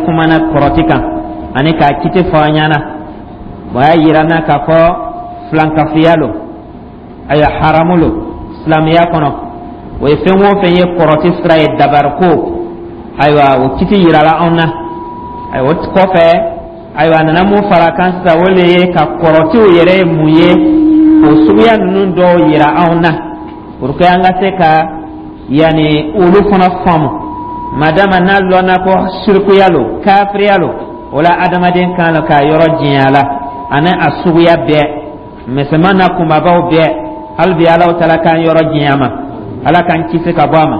Kumana kɔrɔti kan ani k'a kiti fɔ an ɲɛna. O y'a yira n na k'a fɔ filankafiya lo, ayiwa, haramu lo silamɛya kɔnɔ. O ye fɛn o fɛn ye kɔrɔti sira ye, dabariko, ayiwa, o kiti yirala anw na. Ayiwa, o kɔfɛ, ayiwa, a nana mun fara kan sisan? O le ye ka kɔrɔtiw yɛrɛ ye mun ye, o suguya ninnu dɔw yira anw na pour que an ka se ka yanni olu fana faamu. Madama n'a lɔnna ko sirikuya lo, kafiriya lo, o la adamaden kan ka yɔrɔ janya la ani a suguya bɛɛ, misɛnman n'a kunbabaw bɛɛ. Hali bi Alahu Taala k'an yɔrɔ janya ma, Ala k'an kisi ka bɔ a ma.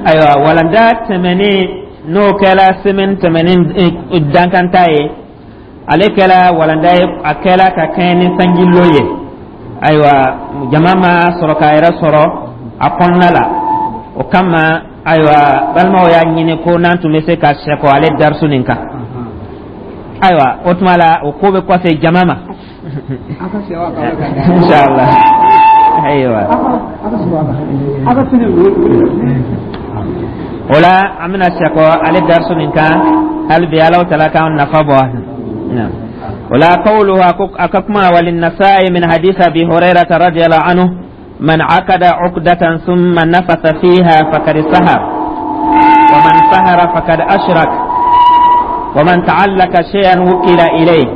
Ayiwa, walanda tɛmɛnen, n'o kɛra semaine tɛmɛnen dankanta ye, ale kɛra walanda ye, a kɛra ka kɛɲɛ ni sanjilo ye. Ayiwa, jama ma sɔrɔ k'a yɛrɛ sɔrɔ a kɔnɔna la. O kama, ayiwa, balimaw y'a ɲini ko n'an tun bɛ se ka sɛkɔ ale darisu nin kan. Ayiwa, o tuma la, o ko bɛ kɔfɛ jama ma, inshallah. Ayiwa, o la an bɛna sɛkɔ ale darisu nin kan. Hali bi Alahu Taala k'an nafa bɔ o la. قوله, a ka kuma, وللنسائي من حديث أبي هريرة رضي الله عنه: من عقد عقدة ثم نفث فيها فقد سحر، ومن سحر فقد أشرك، ومن تعلق شيئا وكل إليه.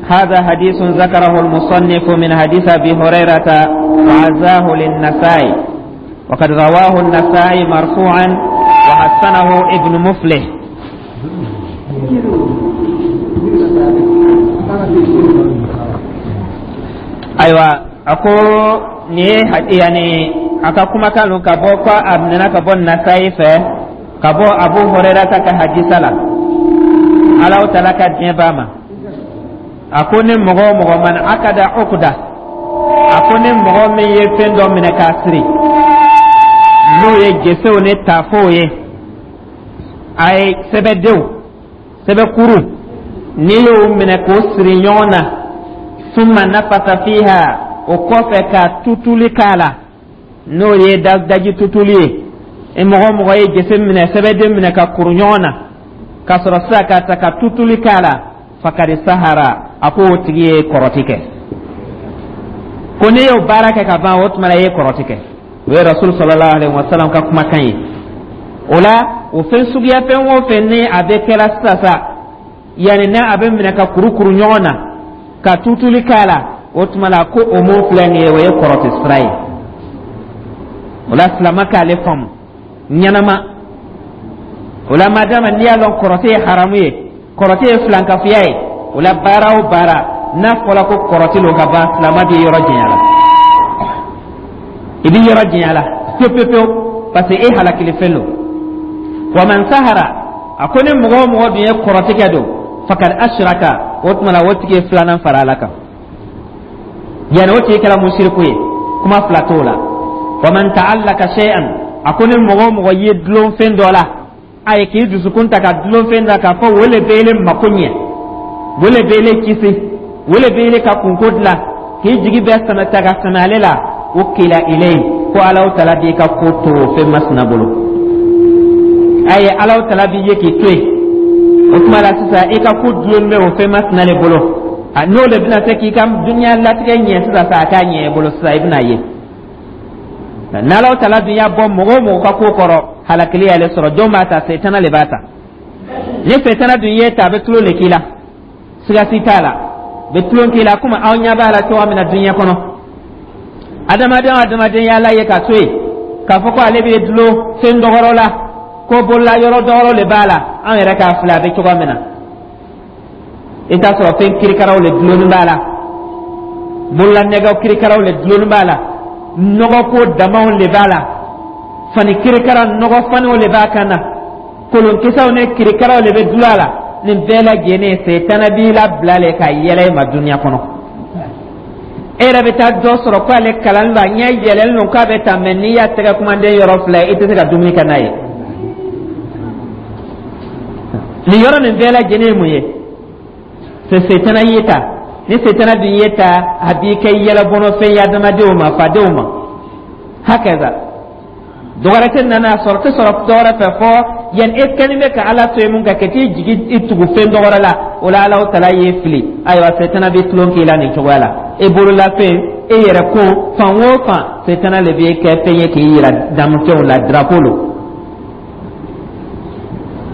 هذا حديث ذكره المصنف من حديث أبي هريرة وعزاه للنسائي، وقد رواه النسائي مرفوعا وحسنه ابن مفلح. Ayiwa, a ko nin ye yani a ka kumakan don ka bɔ ko a minɛna ka bɔ Nasayi fɛ, ka bɔ Abu Hurairata ka hadisa la, Alahu Taala ka diɲɛ b'a ma. A ko ni mɔgɔ o mɔgɔ, من عقد عقدة, a ko ni mɔgɔ min ye fɛn dɔ minɛ k'a siri, n'o ye gesew ni taafow ye, a ye sɛbɛdenw, sɛbɛkuru, n'i y'o minɛ k'o siri ɲɔgɔn na, ثم نفث فيها, o kɔfɛ ka tutuli k'a la, n'o ye daji tutuli ye, e mɔgɔ mɔgɔ ye gese minɛ, sɛbɛden minɛ ka kuru ɲɔgɔn na, ka sɔrɔ sisan ka ta ka tutuli k'a la, فقد سحر, a ko o tigi ye kɔrɔti kɛ. Ko n'i y'o baara kɛ ka ban, o tuma la i ye kɔrɔti kɛ. O ye Rasul صلى الله عليه وسلم ka kumakan ye. O la, o fɛn suguya fɛn o fɛn ni a bɛ kɛra sisan sa, yanni n'a a bɛ minɛ ka kurukuru ɲɔgɔn na ka tutuli k'a la, o tuma la ko o mun filɛ nin ye, o ye kɔrɔti sira ye. O la, silama k'ale faamu ɲɛnama. O la, madama n'i y'a lɔn kɔrɔti ye haramu ye, kɔrɔti ye filankafoya ye, o la baara o baara n'a fɔra ko kɔrɔti lo ka ban, silama b'i yɔrɔ janya la, i b'i yɔrɔ janya la pewu pewu pewu, parce que e halakili fɛn don. ومن سحر, a ko ni mɔgɔ o mɔgɔ dun ye kɔrɔti kɛ don, فقد أشرك, o tuma la o tigi ye filanan fara Ala kan, yanni o tigi kɛra musiriku ye, kuma fila t'o la. ومن تعلق شيئا, a ko ni mɔgɔ o mɔgɔ ye dulon fɛn dɔ la, a ye k'i dusukun ta ka dulon fɛn dɔ k'a fɔ o le bɛ ele mako ɲɛ, o le bɛ ele kisi, o le bɛ ele ka kunko dilan, k'i jigi bɛɛ sɛmɛ ta ka sɛmɛ ale la, وكل إليه, ko Alahu Taala b'i ka ko to o fɛn masina bolo. A ye Alahu Taala b'i ye k'i to yen. O tuma la sisan, i ka ko dulon bɛ o fɛn masina de bolo, a n'o de bɛna se k'i ka dunuya latigɛ ɲɛ sisan sa, a k'a ɲɛ i bolo sisan, i bɛna ye n'Alahu Taala dun y'a bɔ mɔgɔ o mɔgɔ ka ko kɔrɔ, halakili y'ale sɔrɔ. Jɔn b'a ta? Setana le b'a ta. Ni setana dun ye ta, a bɛ tulon le k'i la, siga si t'a la, bɛ tulon k'i la, komi aw ɲɛ b'a la cogoya min na diɲɛ kɔnɔ. Adamaden o adamaden y'Ala ye ka to yen k'a fɔ ko ale bɛ dulon fɛn dɔgɔrɔ la, ko bolola yɔrɔ dɔgɔrɔ de b'a la, an yɛrɛ k'a filɛ a bɛ cogoya min na, i t'a sɔrɔ fɛn kirikaraw le dulonni b'a la, bolola nɛgɛw kirikaraw le dulonni b'a la, nɔgɔko damaw le b'a la, fani kirikara nɔgɔ faniw le b'a kan na, kolonkisɛw ni kirikaraw le bɛ dulon a la. Nin bɛɛ lajɛlen, setana b'i labila le ka yɛlɛ i ma dunuya kɔnɔ. E yɛrɛ bɛ taa dɔ sɔrɔ ko ale kalan don, a ɲɛ yɛlɛlen don k'a bɛ taa, mɛ n'i y'a tɛgɛ kumanden yɔrɔ filɛ, i tɛ se ka dumuni kɛ n'a ye. Nin yɔrɔ nin bɛɛ lajɛlen ye mun ye? Setana y'i ta. Ni setana dun y'i ta, a b'i kɛ yɛlɛbɔnɔfɛn ye adamadenw ma, fadenw ma. Hakaza, dɔwɛrɛ tɛ nana sɔrɔ, tɛ sɔrɔ dɔwɛrɛ fɛ fɔ. Yan e kɛlen bɛ ka Ala to yen mun ka kɛ t'i jigi i tugu fɛn dɔ wɛrɛ la, o la Ala tala y'i fili. Ayiwa, setana bɛ tulon k'i la nin cogoya la. E bololafɛn, e yɛrɛ ko fan o fan, setana le bɛ kɛ fɛn ye k'i yira danfɛnw la, drapeau lo.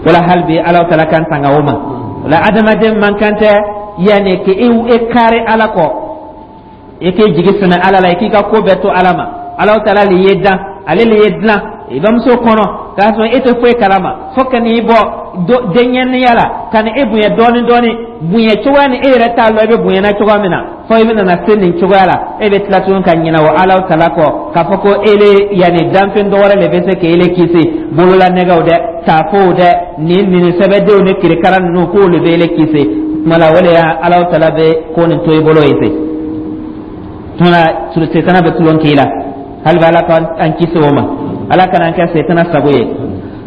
Wala hali bi Ala tala kan tanga o ma. O la adamaden man kan tɛ yanni k'i e kari Ala kɔ, i k'i jigi sɛmɛ Ala la, i k'i ka ko bɛɛ to Ala ma. Ala tala le ye dan, ale le ye dilan i bamuso kɔnɔ k'a sɔrɔ e tɛ foyi kalama, fo ka n'i bɔ denɲɛninya la ka na e bonya dɔɔni dɔɔni, bonya cogoya ni e yɛrɛ t'a lɔn i bɛ bonyana cogoya min na, fo i bɛna se nin cogoya la. E bɛ tila tuguni ka ɲinɛ o Ala tala kɔ k'a fɔ ko ele yanni danfɛn dɔ wɛrɛ de bɛ se k'ele kisi, bololanɛgɛw dɛ, taafow dɛ, nin nin sɛbɛdenw ni kirikara ninnu, k'olu bɛ ele kisi. Tuma la o de y'a Ala tala bɛ ko nin to i bolo ye ten. Tuma la setana bɛ tulon k'i la. Hali bɛ Ala ka an kisi o ma, Ala kana an kɛ setana sago ye.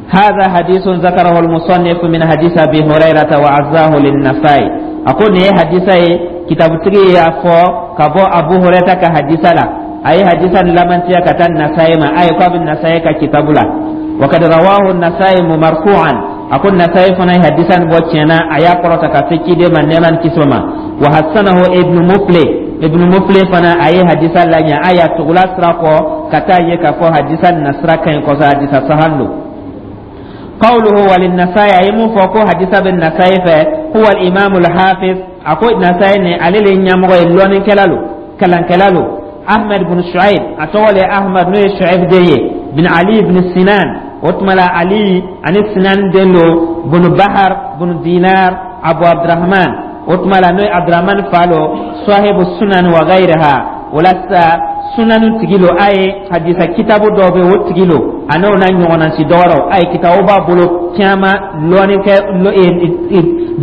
هذا حديث ذكره المصنف من حديث أبي هريرة وعزاه للنسائي. أقول ني حديثة كتاب تري يافو كبو أبو هريرة كحديثة لا أي حديثا لمن تيا كتان النسائي ما أي قبل النسائي ككتاب لا. وقد رواه النسائي مرفوعا. أقول النسائي فنا حديثا بوتشنا أيا قرأت كفكي دي من نمان كسوما. وحسنه ابن مفلح. Ibn Muflih fana a ye hadisa laɲɛ, a y'a tugula sira kɔ ka taa ye k'a fɔ hadisa nasira ka ɲi kosɛbɛ, hadisa sahan don. قوله وللنسائي, أي من فوقو حديث بالنسائي هو الإمام الحافظ. أقول نسائي علي لن يمغو اللون كلالو كلان كلالو أحمد بن شعيب. أتولي أحمد نوي شعيب دي بن علي بن سنان. وتملا علي عن السنان دلو بن بحر بن دينار أبو عبد الرحمن. O tuma la n'o ye Abdurahman fa lo, sahibu sunan wa ghayriha. O la sisan sunanu tigi lo, a ye hadisa kitabu dɔw bɛ yen, o tigi lo, a n'o n'a ɲɔgɔnna si dɔ wɛrɛw. A ye kitabu b'a bolo caman, lɔnni kɛ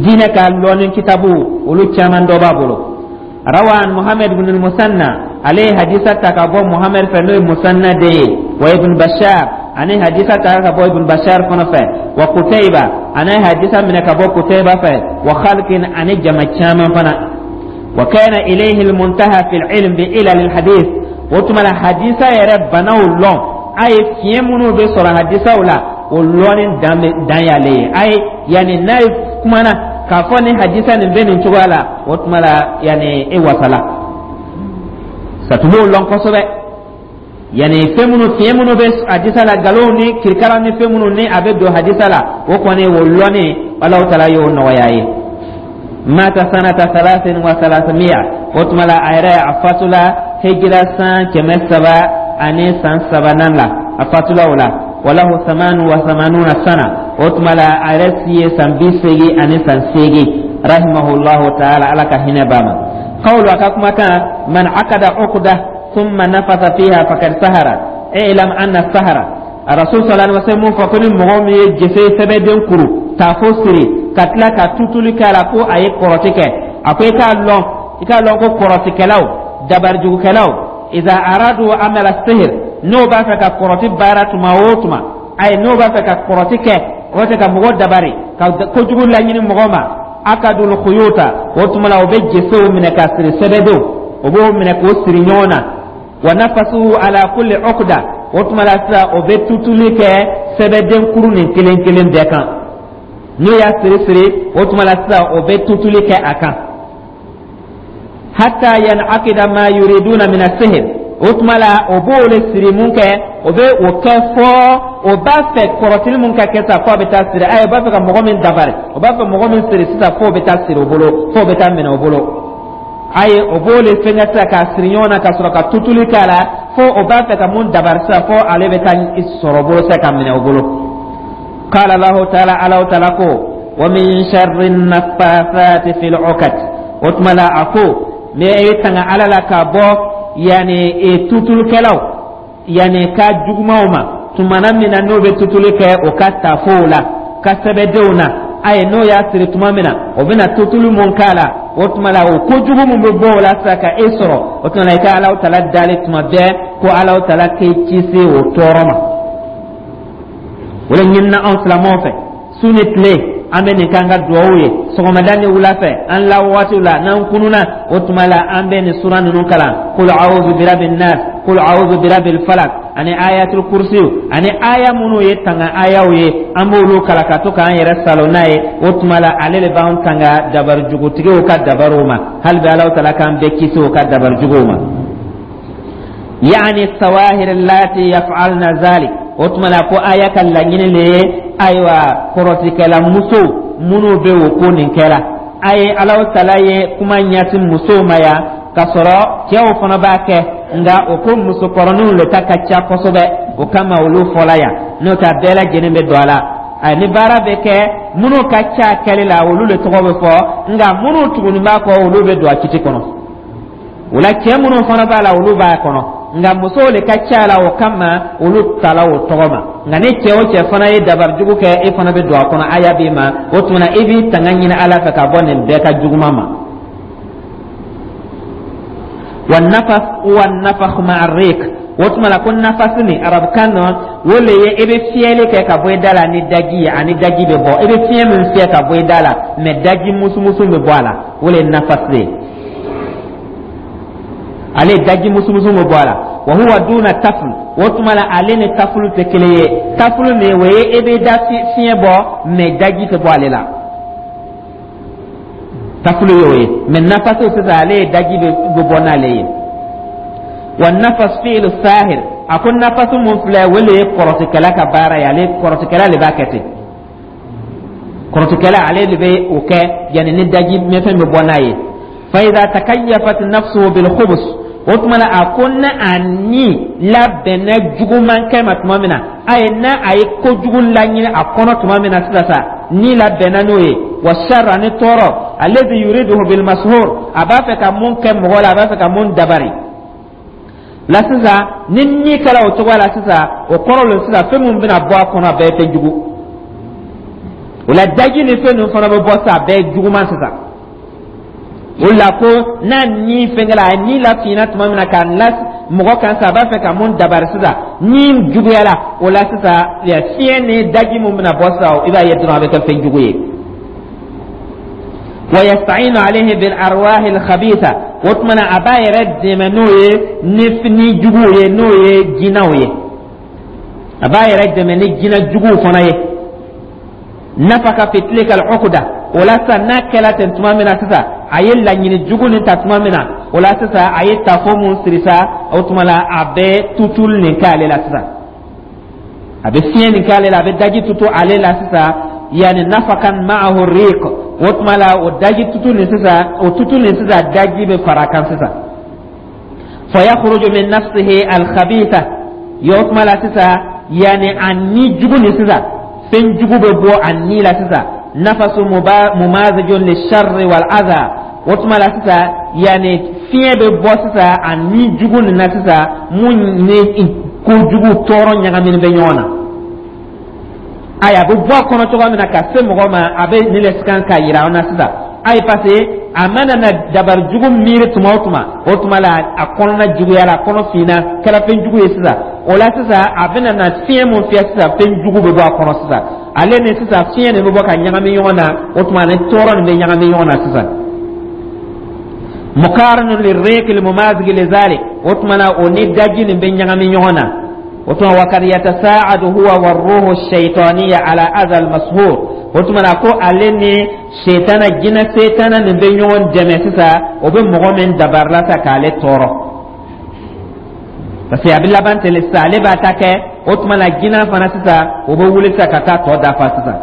diinɛ ka lɔnni kitabu, olu caman dɔ b'a bolo. Rawa an Muhammad ibn Musanna, ale ye hadisa ta ka bɔ Muhammad fɛ, n'o ye Musanna den ye, wa Ibn Bashar, ani hadisa ta ka bɔ Ibn Bashar fana fɛ, wa Kutayba, ani hadisa minɛ ka bɔ Kutayba fɛ, wa khalqin, ani jama caman fana. Wa kana ilayhi almuntaha fi alilm bi ilal alhadith. O tuma la hadisa yɛrɛ banaw lɔn, a ye fiɲɛ minnu bɛ sɔrɔ hadisaw la, o lɔnni dan dan y'ale ye. A ye yanni n'a ye kumana k'a fɔ ni hadisa nin bɛ nin cogoya la, o tuma la yanni e wasala satugu lɔn kosɛbɛ, yanni fɛn minnu, fiɲɛ minnu bɛ hadisa la, nkalonw ni kirikara ni fɛn minnu ni a bɛ don hadisa la, o kɔni o lɔnni, Alahu taala y'o nɔgɔya ye. Mata sanata 333. O tuma la a yɛrɛ a fatula hijira san 303nan la, a fatula o la. Walahu 88 sana. O tuma la a yɛrɛ si ye san 88. Rahimahullahu taala, Ala ka hinɛ b'a ma. Qawlu, a ka kumakan, man akada uqda thumma nafatha fiha faqad sahara. I'lam anna sahara, Rasul sallallahu alaihi wasallam mun fɔ ko ni mɔgɔ min ye jese sɛbɛden kuru taafo siri ka tila ka tutuli k'a la, ko a ye kɔrɔti kɛ, a ko i k'a lɔn ko kɔrɔtikɛlaw, dabarijugukɛlaw, iza aradu amala sihir, n'o b'a fɛ ka kɔrɔti baara tuma o tuma, ayi, n'o b'a fɛ ka kɔrɔti kɛ, o b'a fɛ ka mɔgɔ dabari ka kojugu laɲini mɔgɔ ma, akadul khuyuta, o tuma la o bɛ jesew minɛ ka siri, sɛbɛdenw, o b'o minɛ k'o siri ɲɔgɔn na, wa nafasu ala kulli uqda, o tuma la sisan o bɛ tutuli kɛ sɛbɛden kuru nin kelen kelen bɛɛ kan. N'o y'a siri siri, o tuma la sisan o bɛ tutuli kɛ a kan, hatta yanakida ma yuriduna min asihir. O tuma la o b'o le siri mun kɛ, o bɛ o kɛ fɔ o b'a fɛ kɔrɔtili mun ka kɛ sisan, f'o bɛ taa siri. Ayi, o b'a fɛ ka mɔgɔ min dabari, o b'a fɛ mɔgɔ min siri sisan, f'o bɛ taa siri o bolo, f'o bɛ taa minɛ o bolo. Ayi, o b'o le fɛngɛ sisan k'a siri ɲɔgɔn na ka sɔrɔ ka tutuli k'a la, fo o b'a fɛ ka mun dabari sisan, fo ale bɛ taa sɔrɔ o bolo sisan ka minɛ o bolo. Qala Allahu taala, Alahu taala ko, wa min sharri naffathati fil uqad. O tuma la a ko ne ye tanga Ala la ka bɔ yanni tutulikɛlaw yanni ka jugumanw ma, tumana min na n'o bɛ tutuli kɛ o ka tafow la, ka sɛbɛdenw na. Ayi, n'o y'a siri tuma min na, o bɛna tutuli mun k'a la, o tuma la o kojugu mun bɛ bɔ o la sisan ka e sɔrɔ, o tuma la i ka Alahu taala dali tuma bɛɛ ko Alahu taala k'e kisi o tɔɔrɔ ma. O de ɲinina anw silamɛw fɛ, su ni tile an bɛ nin k'an ka duwawu ye, sɔgɔmada ni wula fɛ, an la waatiw la n'an kununa, o tuma la an bɛ nin sura ninnu kalan: qul a'udhu birabbin nas, qul a'udhu birabbil falaq. Ani Ayatul Kursiw ani aya minnu ye tanga ayaw ye, an b'olu kalan ka to k'an yɛrɛ salo n'a ye. O tuma la, ale de b'an tanga dabarijugutigiw ka dabariw ma. Hali bi Alahu Taala k'an bɛɛ kisi o ka dabarijuguw ma. Yani sawahir lati yaf'alna zalik. O tuma la, ko aya ka laɲini de ye, ayiwa, kɔrɔtikɛla musow minnu bɛ o ko nin kɛra a ye. Alahu Taala ye kuma ɲɛsin musow ma yan, k'a sɔrɔ cɛw fana b'a kɛ, nka o ko musokɔrɔninw de ta ka ca kosɛbɛ, o kama olu fɔla yan. N'o tɛ, a bɛɛ lajɛlen bɛ don a la. A ni baara bɛ kɛ, minnu ka ca kɛli la, olu de tɔgɔ bɛ fɔ, nka minnu tugunin b'a kɔ, olu bɛ don a kiti kɔnɔ. O la, cɛ minnu fana b'a la, olu b'a kɔnɔ, nka musow de ka ca la, o kama olu tala o tɔgɔ ma. Nka ni cɛ o cɛ fana ye dabarijugu kɛ, e fana bɛ don a kɔnɔ, aya b'i ma. O tuma na, i b'i tanga ɲini Ala fɛ ka bɔ nin bɛɛ ka juguman ma. Wa nafas wa nafakh ma'a rik. O tuma la, ko nafasi nin, arabukan nɔ, o le ye i bɛ fiyɛli kɛ ka bɔ i da la ni daji ye, ani daji bɛ bɔ. I bɛ fiɲɛ min fiyɛ ka bɔ i da la, mɛ daji musumusu bɛ bɔ a la, o le ye nafasi ye. Ale daji musumusu bɛ bɔ a la. Wa huwa duna taful. O tuma la, ale ni tafulu tɛ kelen ye. Tafulu nin, o ye e bɛ da fiɲɛ bɔ, mɛ daji tɛ bɔ ale la, tafulu y'o ye. Mɛ nafasi sisan, ale ye daji bɛ bɔ n'ale ye. Wa nafas fi'lu sahir. A ko nafasi mun filɛ, o le ye kɔrɔtikɛla ka baara ye. Ale kɔrɔtikɛla de b'a kɛ ten. Kɔrɔtikɛla, ale de bɛ o kɛ, yanni ni daji mɛfɛn bɛ bɔ n'a ye. Fa idha takayyafat nafsuhu bil khubus. O tuma na, a ko na a ni labɛnna juguman kɛ ma tuma min na, a ye na a ye kojugu laɲini a kɔnɔ tuma min na sisan sa, ni labɛnna n'o ye. Wa sharr, ani tɔɔrɔ, alladhi yuriduhu bil mashur, a b'a fɛ ka mun kɛ mɔgɔ la, a b'a fɛ ka mun dabari la sisan. Ni ni kɛra o cogoya la sisan, o kɔrɔ le sisan, fɛn min bɛna bɔ a kɔnɔ, a bɛɛ ye fɛn jugu. O la, daji ni fɛn ninnu fana bɛ bɔ sisan, a bɛɛ ye juguman sisan. O la, ko n'a ni fɛnkɛla, a ni lafinna tuma min na k'a la mɔgɔ kan sisan, a b'a fɛ ka mun dabari sisan, ni juguyala o la sisan, fiɲɛ ni daji mun bɛna bɔ sisan, i b'a ye dɔrɔn a bɛ kɛ fɛn jugu ye. Wa yasta'inu alayhi bil arwahi al khabitha. O tuma na, a b'a yɛrɛ dɛmɛ n'o ye ni juguw ye, n'o ye jinɛw ye. A b'a yɛrɛ dɛmɛ ni jinɛ juguw fana ye. Nafaka fi tilka al uqda. O la sisan, n'a kɛla ten tuma min na sisan, a ye laɲini jugu nin ta tuma min na, o la sisan, a ye tafo mun siri sa, o tuma la, a bɛ tutuli nin k'ale la sisan, a bɛ fiɲɛ nin k'ale la, a bɛ daji tutu ale la sisan. Yani nafakan ma'ahu riq. O tuma la, o daji tutu nin sisan, o tutu nin sisan, daji bɛ fara a kan sisan. Fa yakhruju min nafsihi al khabitha. Y'o tuma la sisan, yani a ni jugu nin sisan, fɛn jugu bɛ bɔ a ni la sisan. Nafasu mumazijun lisharri wal adha. O tuma la sisan, yani fiɲɛ bɛ bɔ sisan a ni jugu nin na sisan, mun ni kojugu tɔɔrɔ ɲagaminen bɛ ɲɔgɔn na. Ayi, a bɛ bɔ a kɔnɔ cogoya min na ka se mɔgɔ ma, a bɛ nin le kan k'a yira an na sisan. Ayi, parce que a mana na dabari jugu miiri tuma o tuma, o tuma la, a kɔnɔna juguyara, a kɔnɔ finna, kɛra fɛn jugu ye sisan. O la sisan, a bɛna na fiɲɛ mun fiyɛ sisan, fɛn jugu bɛ bɔ a kɔnɔ sisan. Ale ni sisan fiɲɛ nin bɛ bɔ ka ɲagami ɲɔgɔn na, o tuma ni tɔɔrɔ nin bɛ ɲagami ɲɔgɔn na sisan. Mukarinu lirriqi limumazigi lizalik. O tuma na, o ni daji nin bɛ ɲagami ɲɔgɔn na. O tuma, wa kad yatasaadu huwa warruhu shaitaniya ala adha almashur. O tuma na, ko ale ni setana, jinɛ setana nin bɛ ɲɔgɔn dɛmɛ sisan, o bɛ mɔgɔ min dabarila sa k'ale tɔɔrɔ, parce que a bɛ laban ten sisan. Ale b'a ta kɛ, o tuma na, jinɛ fana sisan, o bɛ wuli sisan ka taa tɔ dafa sisan.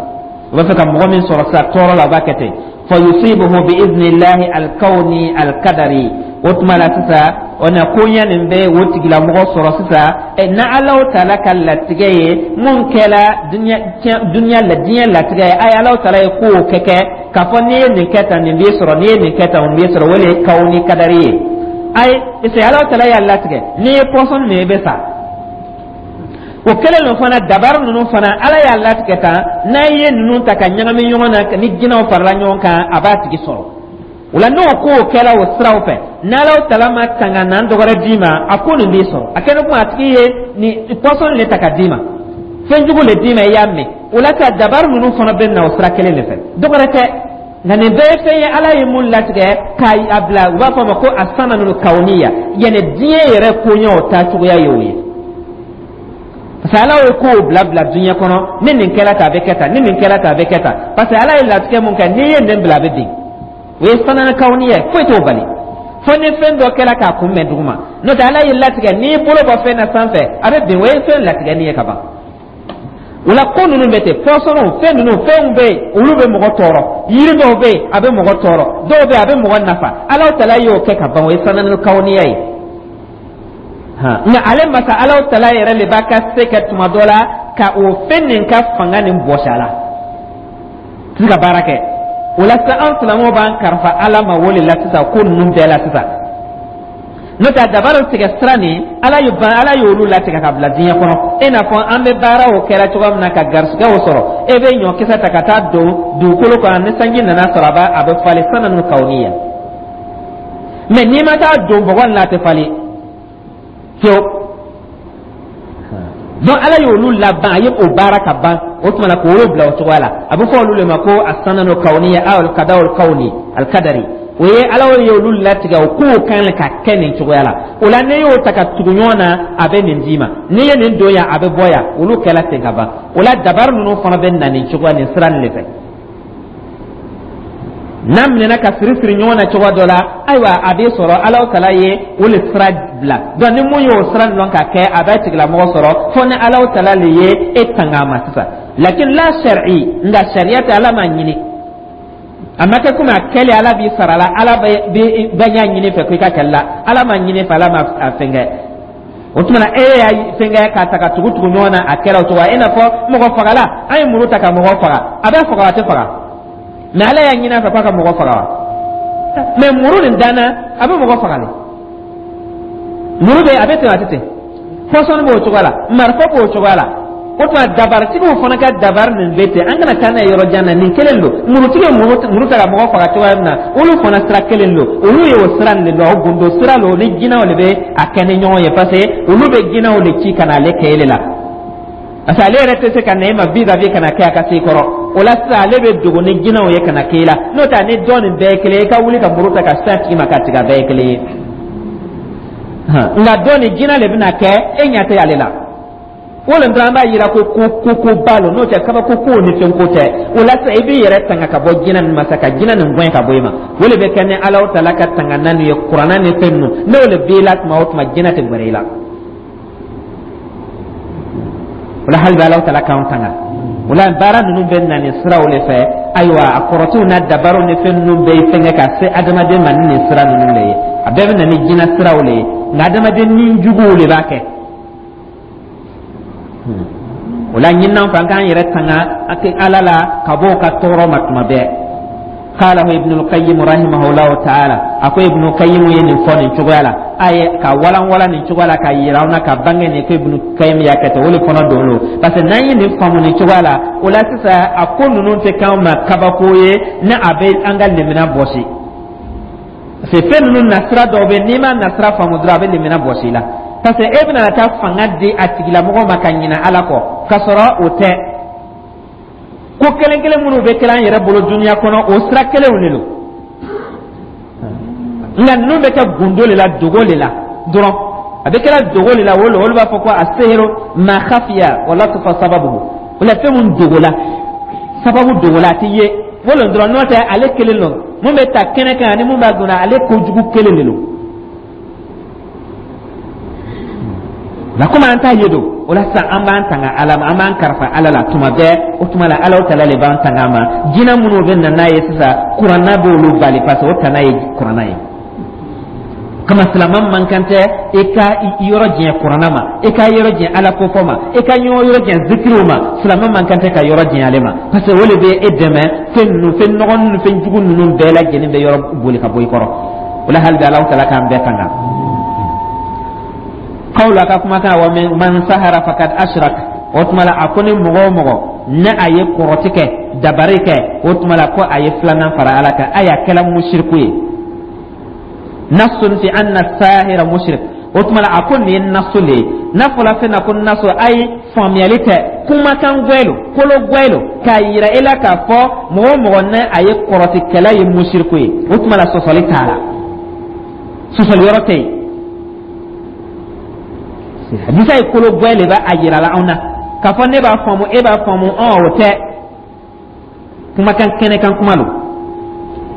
O b'a fɛ ka mɔgɔ min sɔrɔ sisan tɔɔrɔ la, o b'a kɛ ten. Fa yusibuhu bi idnillahi alkawni alkadari. O tuma la sisan, o na koɲɛ nin bɛ o tigilamɔgɔ sɔrɔ sisan na Alahu Taala ka latigɛ ye mun kɛla duniya la, diɲɛ latigɛ ye. A ye Alahu Taala ye kow kɛ k'a fɔ n'i ye nin kɛ tan, nin b'i sɔrɔ, n'i ye nin kɛ tan, nin b'i sɔrɔ, o de ye kawuni kadari ye. Ayi, parce que Alahu Taala y'a latigɛ, n'i ye pɔsɔni min, i bɛ sa. O kɛlen don fana, dabari ninnu fana, Ala y'a latigɛ tan, n'a ye ninnu ta ka ɲagami ɲɔgɔn na, ni jinɛw farala ɲɔgɔn kan, a b'a tigi sɔrɔ. O la, n'o kow kɛla o siraw fɛ, n'Ala Taala ma tanga n'an dɔgɔrɛ d'i ma, a ko nin b'i sɔrɔ. A kɛlen kuma, a tigi ye nin pɔsɔni de ta ka d'i ma, fɛn jugu le d'i ma, i y'a mɛn. O la sa, dabari ninnu fana bɛ na o sira kelen de fɛ, dɔgɔrɛ tɛ. Nka nin bɛɛ ye fɛn ye Ala ye mun latigɛ k'a bila, u b'a fɔ a ma ko asananul kawuniya, yanni diɲɛ yɛrɛ koɲɛw taacogoya ye o ye. Parce que Ala ye kow bila bila diɲɛ kɔnɔ, ni nin kɛla tan, a bɛ kɛ tan, ni nin kɛla tan, a bɛ kɛ tan, parce que Ala ye latigɛ mun kɛ, n'i ye nin bila, a bɛ bin. O ye sananakawni ye, foyi t'o bali fo ni fɛn dɔ kɛra k'a kunbɛn duguma. N'o tɛ, Ala ye latigɛ, n'i bolo bɔ fɛn na sanfɛ, a bɛ bin. O ye fɛn latigɛni ye ka ban. O la, ko ninnu bɛ ten, pɔsɔniw, fɛn ninnu, fɛnw bɛ yen, olu bɛ mɔgɔ tɔɔrɔ. Yiri dɔw bɛ yen, a bɛ mɔgɔ tɔɔrɔ, dɔw bɛ yen, a bɛ mɔgɔ nafa. Ala tala y'o kɛ ka ban, o ye sananakawniya ye. Nka ale masa Ala tala yɛrɛ de b'a ka se kɛ tuma dɔ la ka o fɛn nin ka fanga nin bɔsi a la, tɛ se ka baara kɛ. O la sisan, an silamɛw b'an kalifa Ala ma o de la sisan, ko ninnu bɛɛ la sisan. N'o tɛ, dabaliw tigɛ sira nin, Ala ye ban, Ala y'olu latigɛ ka bila diɲɛ kɔnɔ. E n'a fɔ an bɛ baaraw kɛra cogoya min na ka garisigɛw sɔrɔ, e bɛ ɲɔkisɛ ta ka taa don dugukolo kɔnɔ, ni sanji nana sɔrɔ, a bɛ falen, sananu kawuniya. Mɛ n'i ma taa don bɔgɔ nin la, a tɛ falen fiyewu. Donc Ala y'olu laban, a ye o baara ka ban. O tuma na, k'olu bila o cogoya la, a bɛ fɔ olu de ma ko asananu kawuniya aw alkadaw kawni alkadari. O ye Ala ye olu latigɛ, o kow kan ka kɛ nin cogoya la. O la, n'i y'o ta ka tugu ɲɔgɔn na, a bɛ nin d'i ma. N'i ye nin don yan, a bɛ bɔ yan. Olu kɛla ten ka ban. O la, dabari ninnu fana bɛ na nin cogoya, nin sira nin de fɛ. N'a minɛna ka siri siri ɲɔgɔn na cogoya dɔ la, ayiwa, a bɛ sɔrɔ Ala tala ye o le sira bila. Donc ni mun y'o sira dɔn ka kɛ, a bɛ tigilamɔgɔ sɔrɔ, fo ni Ala tala le ye e tanga a ma sisan. Lakin la sari'i, nka sariya tɛ, Ala m'a ɲini, a ma kɛ komi a kɛlen Ala b'i sara la. Ala bɛ bɛ ɲa ɲini fɛ ko i ka kɛlɛ la, Ala m'a ɲini fɛ, Ala ma a fɛn kɛ. O tuma na, e y'a fɛn kɛ k'a ta ka tugu tugu ɲɔgɔn na, a kɛra o cogo i n'a fɔ mɔgɔ fagala. An ye muru ta ka mɔgɔ faga, a bɛ faga, a tɛ faga, mɛ Ala y'a ɲini a fɛ k'a ka mɔgɔ faga wa? Mɛ muru nin danna, a bɛ mɔgɔ faga de. Muru bɛ, a bɛ ten, a tɛ ten. Pɔsɔni b'o cogoya la, marifa b'o cogoya la. O tuma, dabaritigiw fana ka dabari nin bɛ ten. An kana taa n'a ye yɔrɔ jan na, nin kelen don. Murutigi ye muru ta ka mɔgɔ faga cogoya min na, olu fana sira kelen don. Olu ye o sira nin de don, o gundo sira don. Ni jinɛw de bɛ a kɛ ni ɲɔgɔn ye, parce que olu bɛ jinɛw de ci ka na ale kɛ ele la, parce que ale yɛrɛ tɛ se ka na e ma vis-à-vis ka na kɛ a ka se i kɔrɔ. O la sisan, ale bɛ dogo ni jinɛw ye ka na kɛ i la. N'o tɛ, ni dɔ nin bɛɛ ye kelen ye, i ka wuli ka muru ta ka se a tigi ma k'a tigɛ, a bɛɛ ye kelen ye. Nka dɔ nin, jinɛ de bɛna kɛ, e ɲɛ tɛ ale la. O le dɔrɔn an b'a yira ko ko ko ko ba lo. N'o tɛ, kabako ko ni fɛn ko tɛ. O la sisan, i b'i yɛrɛ tanga ka bɔ jinɛ nin ma sa, ka jinɛ nin gɛn ka bɔ i ma. O de bɛ kɛ ni Ala tala ka tanga na ye, kuranna ni fɛn ninnu. N'o de b'i la tuma o tuma, jinɛ tɛ gɛrɛ i la. O la, hali bi Ala tala k'an tanga. O la, baara ninnu bɛ na nin siraw de fɛ. Ayiwa, a kɔrɔtiw n'a dabariw ni fɛn ninnu bɛɛ ye fɛnkɛ ka se adamaden ma ni nin sira ninnu de ye. A bɛɛ bɛ na ni jinɛ siraw de ye, nka adamaden ni juguw de b'a kɛ. O la, ɲininan fɛ, an k'an yɛrɛ tanga Ala la ka bɔ o ka tɔɔrɔ ma tuma bɛɛ. Qalahu Ibnul Qayyim rahimahullahu ta'ala. A ko Ibnu Qayyim ye nin fɔ nin cogoya la, a ye ka walanwalan nin cogoya la, ka yira an na, ka bange nin ko Ibnu Qayyim y'a kɛ ten. O de fana don lo, parce que n'an ye nin faamu nin cogoya la, o la sisan, a ko ninnu tɛ k'anw ma kabako ye, ni a bɛ an ka limina bɔsi. Parce que fɛn ninnu nasira dɔw bɛ, n'i ma nasira faamu dɔrɔn, a bɛ limina bɔsi i la, parce que e bɛna taa fanga di a tigilamɔgɔ ma ka ɲinɛ Ala kɔ, k'a sɔrɔ o tɛ. Ko kelen kelen minnu bɛ kɛra an yɛrɛ bolo dunuya kɔnɔ, o sira kelenw de don, nka ninnu bɛ kɛ gundo de la, dogo de la dɔrɔn. A bɛ kɛra dogo de la. O olu b'a fɔ ko asihiru ma khafiya wa latufa sababuhu. O la, fɛn mun dogo la, sababu dogo la, a tɛ ye o le dɔrɔn. N'o tɛ, ale kelen don. Mun bɛ ta kɛnɛ kan ani mun b'a donna, ale kojugu kelen de don. Nka komi an t'a ye don o la sisan, an b'an tanga Ala ma, an b'an karifa Ala la tuma bɛɛ. O tuma la, Ala tala le b'an tanga a ma. Jinɛ minnu bɛ na n'a ye sisan, kuranna b'olu bali, parce que o tana ye kuranna ye. Kama silama man kan tɛ i ka yɔrɔ janya kuranna ma, i ka yɔrɔ janya Ala kofɔ ma, i ka ɲɔgɔn yɔrɔ janya zikiriw ma. Silama man kan tɛ ka yɔrɔ janya ale ma, parce que o de bɛ e dɛmɛ. Fɛn ninnu, fɛn nɔgɔ ninnu, fɛn jugu ninnu bɛɛ lajɛlen bɛ yɔrɔ boli ka bɔ i kɔrɔ. O la, hali bi Ala tala k'an bɛɛ tanga. Qawlu, a ka kumakan, wa man sahara fakad ashrak. O tuma la, a ko ni mɔgɔ o mɔgɔ ne a ye kɔrɔti kɛ, dabari kɛ, o tuma la ko a ye filanan fara Ala kan, a y'a kɛla musiriku ye. Nasun fi anna sahira mushrik. O tuma la, a ko nin ye nasu le ye. N'a fɔla fɛn na ko nasu, ayi, faamuyali tɛ, kumakan gwɛlo, kolo gwɛlo, k'a yira e la k'a fɔ mɔgɔ o mɔgɔ ne a ye kɔrɔtikɛla ye musiriku ye. O tuma la, sɔsɔli t'a la, sɔsɔli yɔrɔ tɛ yen. Hadisa ye kolo gwɛ le b'a a yira la anw na k'a fɔ ne b'a faamu, e b'a faamu, ɔn, o tɛ kumakan kɛnɛ kan kuma lo.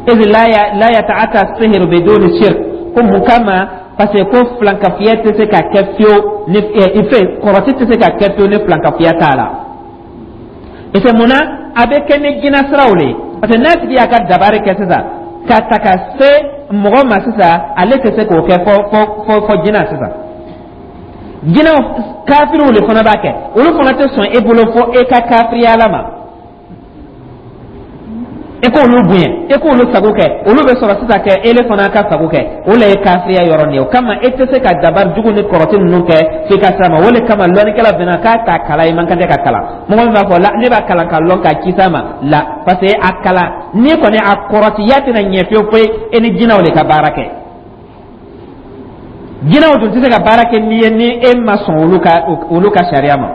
إذ لا يتأتى السحر بدون شرك. Ko mun kama? Parce que ko filankafiya tɛ se ka kɛ fiyewu ni ife kɔrɔti tɛ se ka kɛ fiyewu ni filankafiya t'a la. Parce que mun na a bɛ kɛ ni jinɛ siraw le ye? Parce que n'a tigi y'a ka dabari kɛ sisan ka ta ka se mɔgɔ ma sisan, ale tɛ se k'o kɛ fɔ jinɛ sisan. Jinɛw kafiriw le fana b'a kɛ, olu fana tɛ sɔn e bolo fo e ka kafiriya la ma, e k'olu bonya, e k'olu sago kɛ, olu bɛ sɔrɔ sisan kɛ ele fana ka sago kɛ. O le ye kafiriya yɔrɔ nin ye. O kama e tɛ se ka dabari jugu ni kɔrɔti ninnu kɛ f'i ka s'a ma. O le kama lɔnnikɛla bɛnna k'a ta kalan, i man kan tɛ ka kalan. Mɔgɔ min b'a fɔ la ne b'a kalan ka lɔn k'a ci s'a ma la, parce que a kalan n'i kɔni a kɔrɔtiya tɛna ɲɛ fiyewu foyi, e ni jinɛw de ka baara kɛ. Jinɛw dun tɛ se ka baara kɛ n'i ye ni e ma sɔn olu ka sariya ma.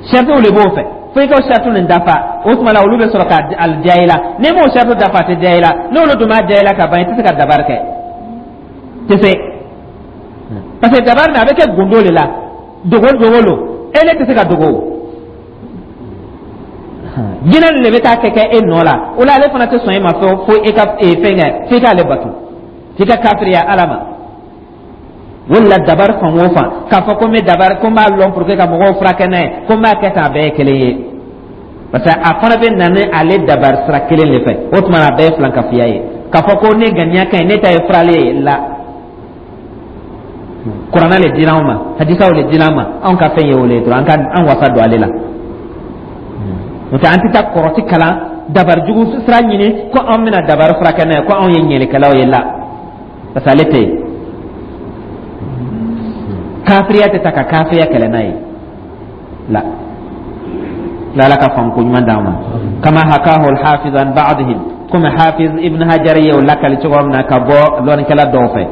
Saritiw de b'o fɛ, fo i ka sariti nin dafa, o tuma la olu bɛ sɔrɔ ka diya i la. N'i m'o sariti dafa, a tɛ diya i la. N'olu dun m'a diya i la ka ban, i tɛ se ka dabari kɛ, tɛ se, parce que dabari nin a bɛ kɛ gundo de la, dogo dogo lo, e ne tɛ se ka dogo. Jinɛ nin de bɛ taa kɛ e nɔ la. O la ale fana tɛ sɔn e ma fo e ka fɛn kɛ, f'i k'ale bato, f'i ka kafiriya Ala ma. O de la dabari fan o fan, k'a fɔ ko n bɛ dabari, ko n b'a lɔn pour que ka mɔgɔw furakɛ n'a ye, ko n b'a kɛ tan, a bɛɛ ye kelen ye, parce que a fana bɛ na ni ale dabari sira kelen de fɛ. O tuma na a bɛɛ ye filankafiya ye. K'a fɔ ko ne ŋaniya ka ɲi, ne ta ye furalen ye la, Kuranɛ le dira anw ma, hadisaw le dira an ma, anw ka fɛn ye o le ye dɔrɔn, an ka an wasa don ale la. N'o tɛ an tɛ taa kɔrɔti kalan, dabari jugu sira ɲini ko anw bɛna dabari furakɛ n'a ye, ko anw ye ɲɛlikɛlaw ye la, parce que ale tɛ yen. Kafiriya tɛ ta ka kafiriya kɛlɛ n'a ye la la. Ala ka faamu ko ɲuman d'an ma. كما حكاه الحافظ عن بعضهم, komi Hafiz Ibn Hajar ye o lakali cogo min na ka bɔ lɔnnikɛla dɔw fɛ.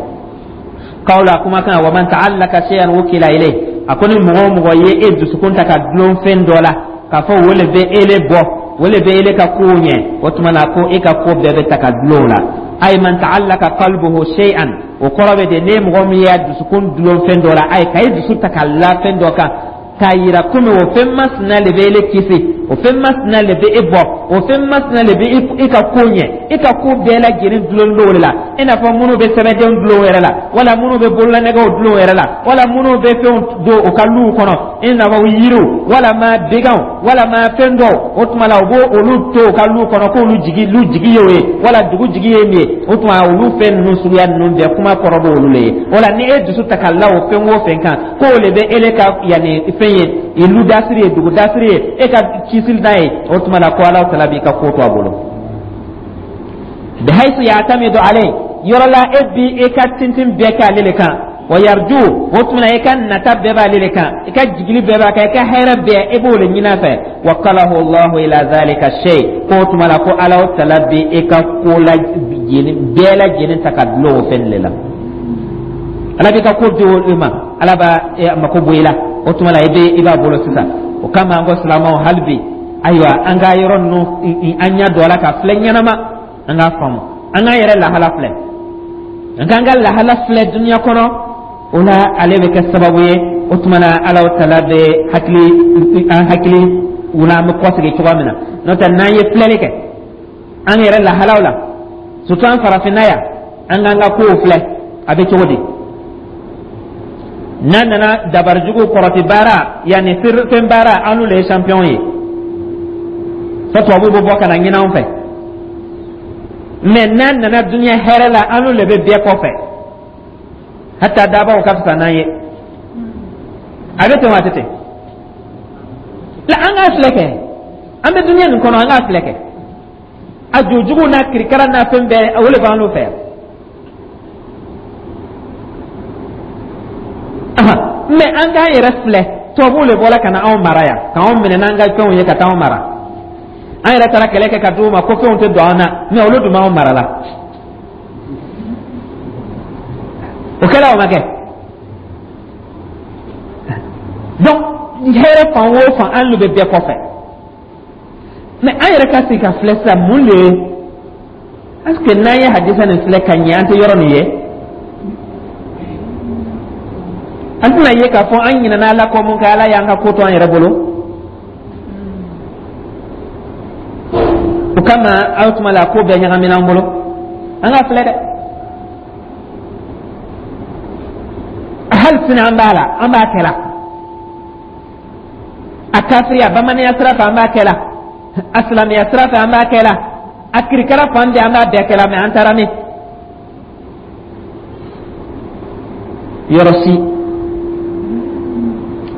قوله, kuma kan, ومن تعلق شيئا وكل إليه. A ko ni mɔgɔ o mɔgɔ ye e dusukun ta ka dulon fɛn dɔ la k'a fɔ o le bɛ ele bɔ, o le bɛ ele ka kow ɲɛ, o tuma na ko e ka ko bɛɛ bɛ ta ka dulon o la. أي من تعلق قلبه شيئا, o kɔrɔ bɛ de ne mɔgɔ min y'a dusukun dulon fɛn dɔ la, ayi, ka e dusu ta ka la fɛn dɔ kan k'a yira komi o fɛn masina le bɛ ele kisi, o fɛn masina le bɛ e bɔ, o fɛn masina le bɛ i ka ko ɲɛ, e ka ko bɛɛ lajɛlen dulon don o de la, i n'a fɔ minnu bɛ sɛbɛndenw dulon o yɛrɛ la, wala minnu bɛ bololanɛgɛw dulon o yɛrɛ la, wala minnu bɛ fɛnw don u ka luw kɔnɔ, i n'a fɔ yiriw walama beganw walama fɛn dɔw. O tuma la u b'o olu to u ka luw kɔnɔ k'olu jigi, lu jigi ye o ye, wala dugu jigi ye min ye. O tuma olu fɛn ninnu suguya ninnu bɛɛ, kuma kɔrɔ b'olu le ye. O la ni e dusu ta ka la o fɛn o fɛn kan k'o le bɛ ele ka yanni fɛn ye, lu dasiri ye, dugu dasiri ye, e ka kisili n'a ye, o tuma la ko Ala tala b'i ka ko to a bolo. بحيث يعتمد عليه, yɔrɔ la e bi e ka tintin bɛɛ kɛ ale le kan, ويرجو, o tuma e ka nata bɛɛ b'ale le kan, i ka jigili bɛɛ b'a kan, i ka hɛrɛ bɛɛ e b'o le ɲini a fɛ. وكله الله إلى ذلك الشيء, ko o tuma la ko Ala tala bi e ka ko la bɛɛ lajɛlen ta ka dulon o fɛn de la. Ala b'i ka ko di o ma, Ala b'a mako bɔ i la, o tuma la i bɛ i b'a bolo sisan. O kama an ko silamɛw, hali bi, ayiwa, an ka yɔrɔ ninnu an ɲɛ don a la ka filɛ ɲɛnama, an k'a faamu, an k'an yɛrɛ lahala filɛ, an k'an ka lahala filɛ dunuya kɔnɔ. O la ale bɛ kɛ sababu ye, o tuma na Ala tala bɛ hakili an hakili wula, an bɛ kɔsegin cogoya min na. N'o tɛ n'an ye filɛli kɛ an yɛrɛ lahalaw la, surtout an farafinna yan, an k'an ka kow filɛ a bɛ cogo di. N'a nana dabarijugu kɔrɔti baara yanni fɛn baara, an n'olu ye champion ye, fo tubabuw bɛ bɔ ka na ɲini anw fɛ. Mais n'a nana dunuya hɛrɛ la, an n'olu de bɛ bɛɛ kɔfɛ, hata dabaw ka fisa n'an ye. A bɛ ten wa, a tɛ ten la? An k'a filɛ kɛ, an bɛ dunuya nin kɔnɔ, an k'a filɛ kɛ, a jojugu n'a kirikara n'a fɛn bɛɛ, o de b'an n'u fɛ yan. Mais an k'an yɛrɛ filɛ, tubabuw de bɔra ka na anw mara yan, k'anw minɛ n'an ka fɛnw ye ka taa anw mara. An yɛrɛ taara kɛlɛ kɛ ka d'u ma ko fɛnw tɛ don an na, mais olu dun b'anw mara la. O kɛra, o ma kɛ? Donc hɛrɛ fan o fan, an lu bɛ bɛɛ kɔfɛ. Mais an yɛrɛ ka sigi ka filɛ sisan, mun de ye? Est ce que n'an ye hadisa nin filɛ ka ɲɛ, an tɛ yɔrɔ nin ye? An tɛna ye k'a fɔ an ɲinɛna Ala kɔ mun kɛ, Ala y'an ka ko to an yɛrɛ bolo. O kama aw tuma la ko bɛɛ ɲagamina an bolo. An ka filɛ dɛ, hali sini an b'a la, an b'a kɛ la. A kafiriya bamananya sira fɛ an b'a kɛ la, a silamɛya sira fɛ an b'a kɛ la, a kirikara fan bɛɛ an b'a bɛɛ kɛ la. Mɛ an taara min yɔrɔ si,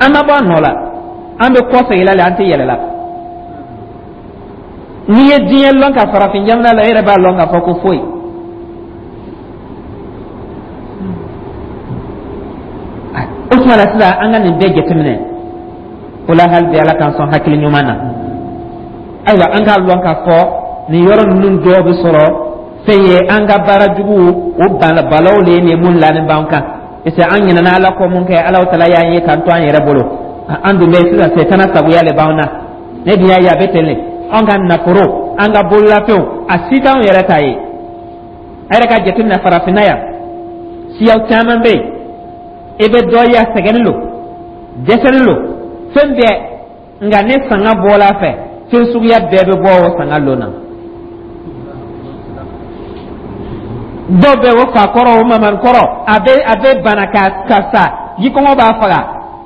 an ma bɔ a nɔ la, an bɛ kɔsegin la le, an tɛ yɛlɛ la. N'i ye diɲɛ lɔn ka farafin jamana la, e yɛrɛ b'a lɔn k'a fɔ ko foyi. O tuma la sisan an ka nin bɛɛ jateminɛ. O la hali bi Ala k'an sɔn hakili ɲuman na. Ayiwa, an k'a lɔn k'a fɔ nin yɔrɔ ninnu dɔw bɛ sɔrɔ fɛn ye an ka baara juguw o balaw le ye nin mun lanin b'an kan, parce que an ɲinɛna Ala kɔ mun kɛ, Ala tala y'an ye k'an to an yɛrɛ bolo. An dun bɛ sisan setana sagoya le b'an na. Ne dun y'a ye a bɛ ten le, an ka nafolo, an ka bololafɛnw, a si t'anw yɛrɛ ta ye. A yɛrɛ ka jateminɛ farafinna yan, siyaw caman bɛ yen, i bɛ dɔ ye a sɛgɛnnen don, dɛsɛlen don fɛn bɛɛ, nka ni sanga bɔla a fɛ, fɛn suguya bɛɛ bɛ bɔ o sanga lon na. Dɔw bɛ o fa kɔrɔ, o mamani kɔrɔ, a bɛ bana ka sa, jikɔngɔ b'a faga,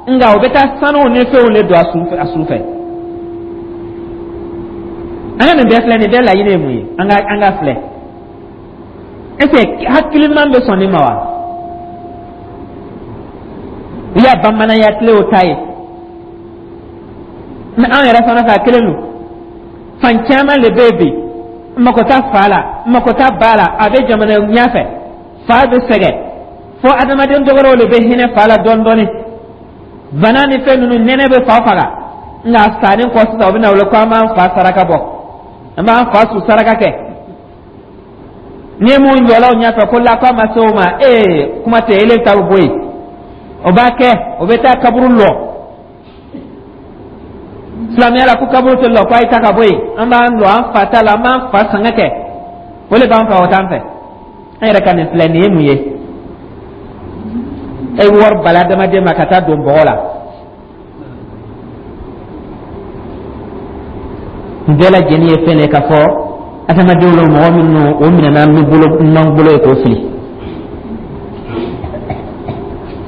nka o bɛ taa sanuw ni fɛnw de don a su fɛ. An ka nin bɛɛ filɛ, nin bɛɛ laɲini ye mun ye? An ka filɛ, est ce que hakiliman bɛ sɔn nin ma wa? U y'a bamananya tile o ta ye, mɛ an yɛrɛ fana fɛ a kelen don. Fan caman de bɛ yen bi, mako t'a fa la, mako t'a ba la, a bɛ jamana ɲɛfɛ, fa bɛ sɛgɛn fo adamaden dɔgɔrɔw de bɛ hinɛ fa la dɔɔni dɔɔni. Bana ni fɛn ninnu, nɛnɛ bɛ fa faga, nka sanni kɔ sisan u bɛ na wele ko an b'an fa saraka bɔ, an b'an fa su saraka kɛ. Ni mun jɔla o ɲɛfɛ ko la k'a ma se o ma, ee kuma tɛ, ele ta bɛ bɔ yen, o b'a kɛ, o bɛ taa kaburu lɔ. Silamɛya la ko kaburu tɛ lɔ, ko a ye ta ka bɔ yen, an b'an lɔ an fa ta la, an b'an fa sanga kɛ, o de b'an fɛ, o t'an fɛ. An yɛrɛ ka nin filɛ nin ye mun ye? E bɛ wari bali adamaden ma ka taa don bɔgɔ la. Nin bɛɛ lajɛlen ye fɛn de ye k'a fɔ adamadenw la, mɔgɔ minnu o minɛna ni bolo ɲuman bolo ye k'o fili.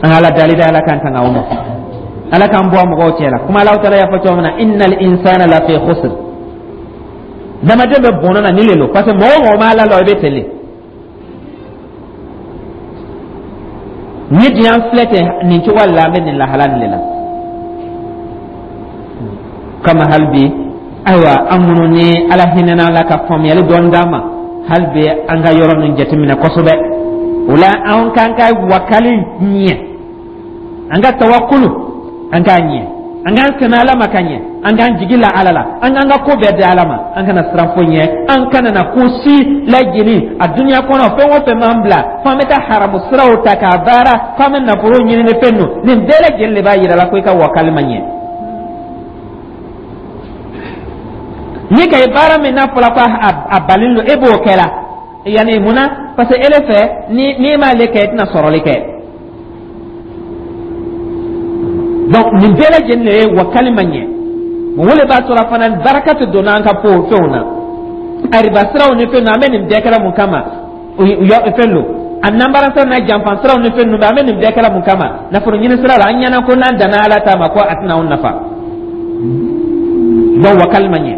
An ka Ala dali da, Ala k'an tanga o ma, Ala k'an bɔ mɔgɔw cɛ la. Kuma Alahu taala y'a fɔ cogo min na, innal insana lafi khusr, adamaden bɛ bɔnɛ na nin le lo, parce que mɔgɔ o mɔgɔ ma Ala lɔ, i bɛ ten le. Ni diɲɛ filɛ ten nin cogoya la, an bɛ nin lahala nin de la kama. Hali bi ayiwa, an minnu ni Ala hinɛna la ka faamuyali dɔɔni d'an ma, hali bi an ka yɔrɔ ninnu jateminɛ kosɛbɛ. O la an k'an ka wakali ɲɛ, an ka tawakulu an k'a ɲɛ, an k'an sɛmɛ Ala ma ka ɲɛ, an k'an jigi la Ala la, an k'an ka ko bɛɛ di Ala ma, an kana siran foyi ɲɛ, an kana na ko si lajini a dunuya kɔnɔ. Fɛn o fɛn b'an bila f'an bɛ taa haramu siraw ta k'a baara, f'an bɛ nafolo ɲini ni fɛn ninnu, nin bɛɛ lajɛlen de b'a yira la ko i ka wakali ma ɲɛ. Ni ka ye baara min n'a fɔra ko a balen don, e b'o kɛ la yanni mun na? Parce que ele fɛ, ni n'i m'ale kɛ, i tɛna sɔrɔli kɛ. Donc nin bɛɛ lajɛlen de ye wakali ma ɲɛ. O le b'a to la fana baraka tɛ donna an ka ko fɛnw na, ariba siraw ni fɛn ninnu. An bɛ nin bɛɛ kɛra mun kama? Fɛn don a nanbara siraw n'a janfa siraw ni fɛn ninnu bɛɛ, an bɛ nin bɛɛ kɛra mun kama? Nafolo ɲini sira la, an ɲɛna ko n'an danna Ala ta ma ko a tɛna anw nafa. Donc wakali ma ɲɛ.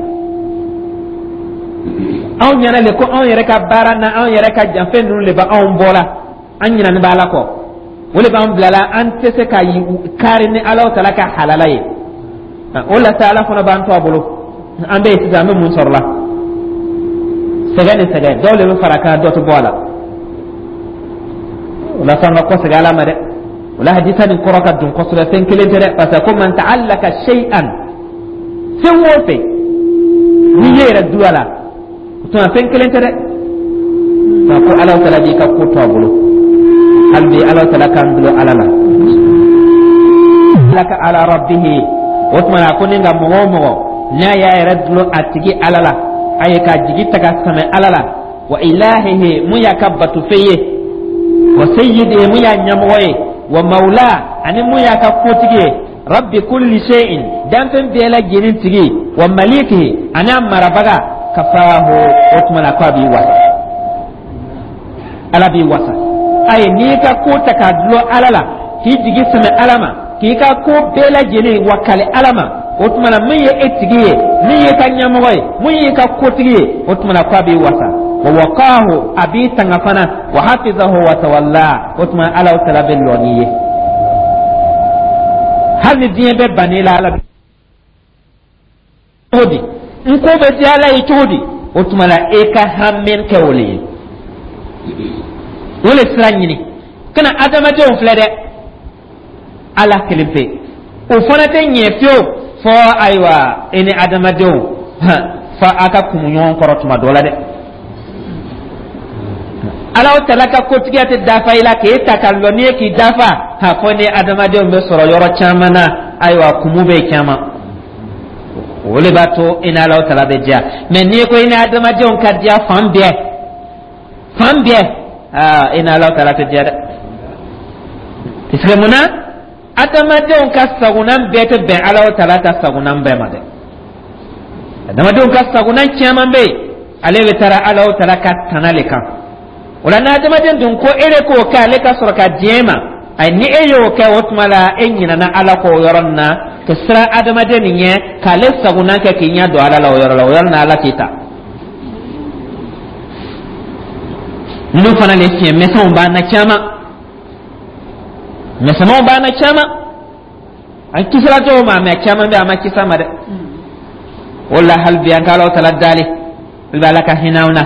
Anw ɲɛna le ko anw yɛrɛ ka baara na, anw yɛrɛ ka janfɛn ninnu le bɛ anw bɔ la, an ɲinani b'Ala kɔ, o le b'an bilala an tɛ se ka kari ni Ala tala ka halala ye. O la sa Ala fana b'an to a bolo. An bɛ yen sisan, an bɛ mun sɔrɔ la? Sɛgɛn ni sɛgɛn, dɔw le bɛ fara kan, dɔ tɛ bɔ a la. O la sa an ka kɔsegin Ala ma dɛ. O la hadisa nin kɔrɔ ka dun kosɛbɛ, fɛn kelen tɛ dɛ, parce que ko man ta'allaka shay'an, fɛn o fɛn n'i ye yɛrɛ du a la, o tuma fɛn kelen tɛ dɛ, nka ko Ala tala b'i ka ko to a bolo. Hali bi Ala tala k'an dulon Ala la, ala ka ala rabbihi. O tuma na ko ni ka mɔgɔ o mɔgɔ n'a y'a yɛrɛ dulon a tigi Ala la, a ye k'a jigi ta ka sɛmɛ Ala la, wa ilahihi, mun y'a ka batofɛn ye, wa sayyidihi, mun y'a ɲɛmɔgɔ ye. Wa mawla, ani mun y'a ka kotigi ye, rabbi kulli shay'in, danfɛn bɛɛ lajɛlen tigi, wa malikihi, ani a marabaga, kafahu, o tuma na ko a b'i wasa, Ala b'i wasa. Ayi, n'i ka ko ta k'a dulon Ala la, k'i jigi sɛmɛ Ala ma, k'i ka ko bɛɛ lajɛlen wakali Ala ma, o tuma na min ye e tigi ye, min ye ka ɲɛmɔgɔ ye, min y'i ka kotigi ye, o tuma na ko a b'i wasa. Wa waqahu, a b'i tanga fana, wa hafizahu wa tawalla, o tuma Ala tala bɛ lɔ n'i ye hali ni diɲɛ bɛɛ bann'i la. Ala cogo di n ko bɛ diya Ala ye cogo di? O tuma la e ka hami kɛ o le ye, o le sira ɲini kana adamadenw filɛ dɛ, Ala kelen pe o fana tɛ ɲɛ fiyewu. Fɔ ayiwa, e ni adamadenw fɔ a ka kumu ɲɔgɔn kɔrɔ tuma dɔ la dɛ. Ala tala ka kotigiya tɛ dafa i la k'e ta ka lɔ n'i ye k'i dafa ha, fɔ ni adamadenw bɛ sɔrɔ yɔrɔ caman na. Ayiwa, kumu bɛ caman, o de b'a to i ni Ala tala bɛ diya. Mɛ n'i ko i ni adamadenw ka diya fan bɛɛ, fan bɛɛ, aa, i ni Ala tala tɛ diya dɛ. Parce que mun na? Adamadenw ka sagonan bɛɛ tɛ bɛn Ala tala ta sagonan bɛɛ ma dɛ. Adamadenw ka sagonan caman bɛ yen, ale bɛ taara Ala tala ka tana le kan. O la, n'adamaden dun ko e de k'o kɛ, ale ka sɔrɔ ka diɲɛ ma, ayi, ni e y'o kɛ, o tuma la e ɲinɛna Ala kɔ o yɔrɔ nin na, ka siran adamaden nin ɲɛ, k'ale sagonan kɛ, k'i ɲɛ don Ala la o yɔrɔ la, o yɔrɔ nin Ala k'i ta. Ninnu fana le fiɲɛ misɛnw b'an na caman, misɛnmanw b'an na caman. An kisira dɔw ma, mɛ caman bɛ a ma kisa ma dɛ. O la, hali bi an ka Ala tala dali, hali bi Ala ka hinɛ anw na.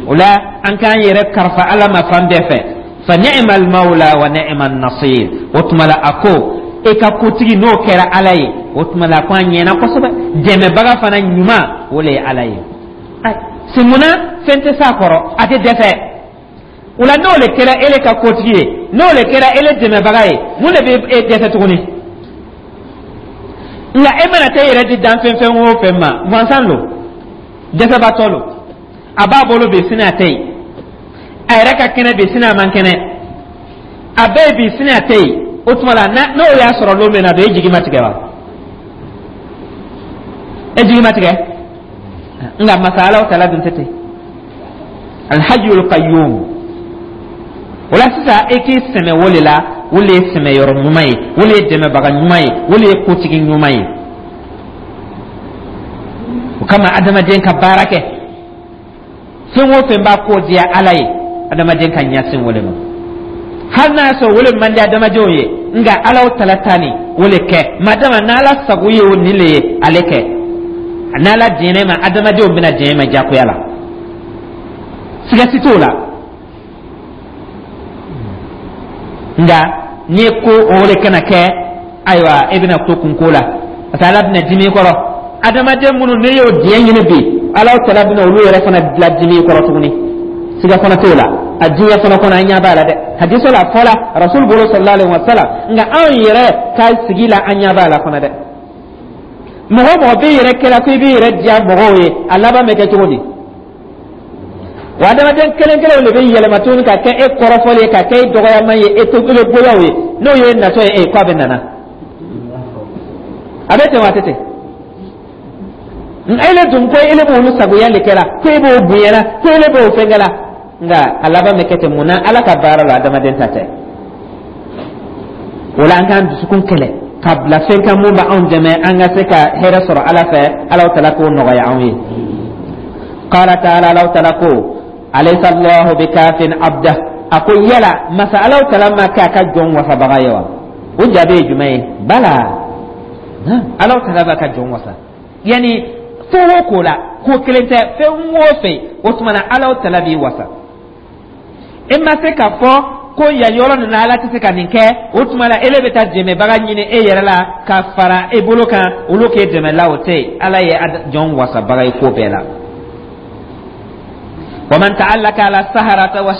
O la, an k'an yɛrɛ kalifa Ala ma fan bɛɛ fɛ. Fa ni'ma al-mawla wa ni'ma an-nasir. O tuma la, a ko e ka kotigi n'o kɛra Ala ye, o tuma la ko an ɲɛna kosɛbɛ. Dɛmɛbaga fana ɲuman, o le ye Ala ye. Se munna fɛn tɛ s'a kɔrɔ, a tɛ dɛsɛ. O la, n'o le kɛra ele ka kotigi ye, n'o le kɛra ele dɛmɛbaga ye, mun de bɛ e dɛsɛ tuguni? Nka e mana taa e yɛrɛ di danfɛn fɛn o fɛn ma, gansan lo, dɛsɛbaatɔ lo. A b'a bolo bi, sini a tɛ yen. A yɛrɛ ka kɛnɛ bi, sini a man kɛnɛ. A bɛ yen bi, sini a tɛ yen. O tuma la, n'o y'a sɔrɔ don min na don, e jigi ma tigɛ wa? E jigi ma tigɛ. Nka masa Ala tala dun tɛ ten, alhajjul qayyum. O la sisan, e k'i sɛmɛ o de la, o le ye sɛmɛyɔrɔ ɲuman ye, o le ye dɛmɛbaga ɲuman ye, o le ye kotigi ɲuman ye. O kama, adamaden ka baara kɛ fɛn o fɛn b'a ko diya Ala ye, adamaden ka ɲɛsin o le ma. Hali n'a y'a sɔrɔ o le man di adamadenw ye, nka Ala tala ta nin o le kɛ, madama n'Ala sago ye o nin le ye, ale kɛ. N'Ala diɲɛ ma, adamadenw bɛna diɲɛ ma diyagoya la, siga si t'o la. Nka n'i ko o de kana kɛ, ayiwa, e bɛna to kunko la, parce que Ala bɛna dimi i kɔrɔ. Adamaden minnu n'i y'o diɲɛ ɲini bi, Ala tala bɛna olu yɛrɛ fana bila dimi i kɔrɔ tuguni, siga fana t'o la. A diɲɛ fana kɔnɔ, an ɲɛ b'a la dɛ. Hadisa la fɔla Rasul bolo sallallahu alaihi wa sallam, nka anw yɛrɛ ka sigi la, an ɲɛ b'a la fana dɛ. Mɔgɔ o mɔgɔ b'i yɛrɛ kɛla ko i b'i yɛrɛ diya mɔgɔw ye, a laban bɛ kɛ cogo di? Wa adamaden kelen kelenw de bɛ yɛlɛma tuguni ka kɛ e kɔrɔfɔli ye, ka kɛ e dɔgɔyama ye, e to e goyaw ye. N'o ye natɔ ye, e ko a bɛ nana, a bɛ ten wa? A tɛ ten. Ele dun ko ele b'olu sagoya de kɛra, ko e b'o bonyana, ko ele b'o fɛnkɛ la, nka a laban bɛ kɛ ten. Mun na? Ala ka baara la, adamaden ta tɛ. O la, an k'an dusukun kɛlɛ ka bila fɛn kan mun b'anw dɛmɛ an ka se ka hɛrɛ sɔrɔ Ala fɛ. Ala tala k'o nɔgɔya anw ye. Qala ta'ala, Ala tala ko: alaysa Allahu bikafin abda. A ko yala masa Ala tala ma kɛ a ka jɔn wasabaga ye wa? O jaabi ye jumɛn ye? Bala, Ala tala b'a ka jɔn wasa. Yani fɛn o ko la, ko kelen tɛ, fɛn o fɛn, o tuma na Ala tala b'i wasa. E ma se k'a fɔ ko yan yɔrɔ nin na, Ala tɛ se ka nin kɛ, o tuma la ele bɛ taa dɛmɛbaga ɲini e yɛrɛ la ka fara e bolo kan, olu k'e dɛmɛ la, o tɛ yen. Ala ye jɔn wasabaga ye ko bɛɛ la. Wa man ta'allaka ala saharata wa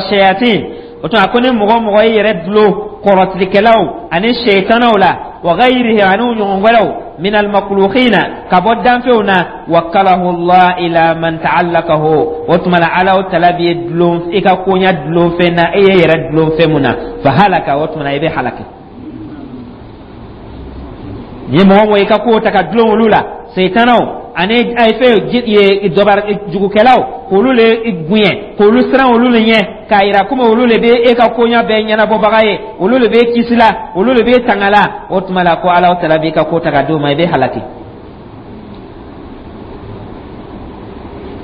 shayatin, o tuma ko ni mɔgɔ mɔgɔ y'i yɛrɛ dulon Kɔrɔtigɛkɛlaw ani seytanaw la, wa ghayrihi, ani ɲɔgɔn wɛrɛw, min almakhluqina, ka bɔ danfɛnw na. Wakalahu Allah ila man ta'allaqahu. O tuma la, Ala tala b'i dulon i ka koɲa dulon fɛn na, e ye yɛrɛ dulon fɛn mun na. Fa halaka, o tuma la, i bɛ halaki. Ni mɔgɔ mɔgɔ i ka ko ta ka dulon olu la, seytanaw ani ay fɛn ye dɔbar jugukɛlaw, k'olu le bonya, k'olu siran, olu le ɲɛ, k'a yira komi olu le bɛ e ka koɲa bɛɛ ɲɛnabɔbaga ye, olu le bɛ kisi la, olu le bɛ tanga la, o tuma la ko Ala tala b'i ka ko ta ka d'o ma, i bɛ halaki.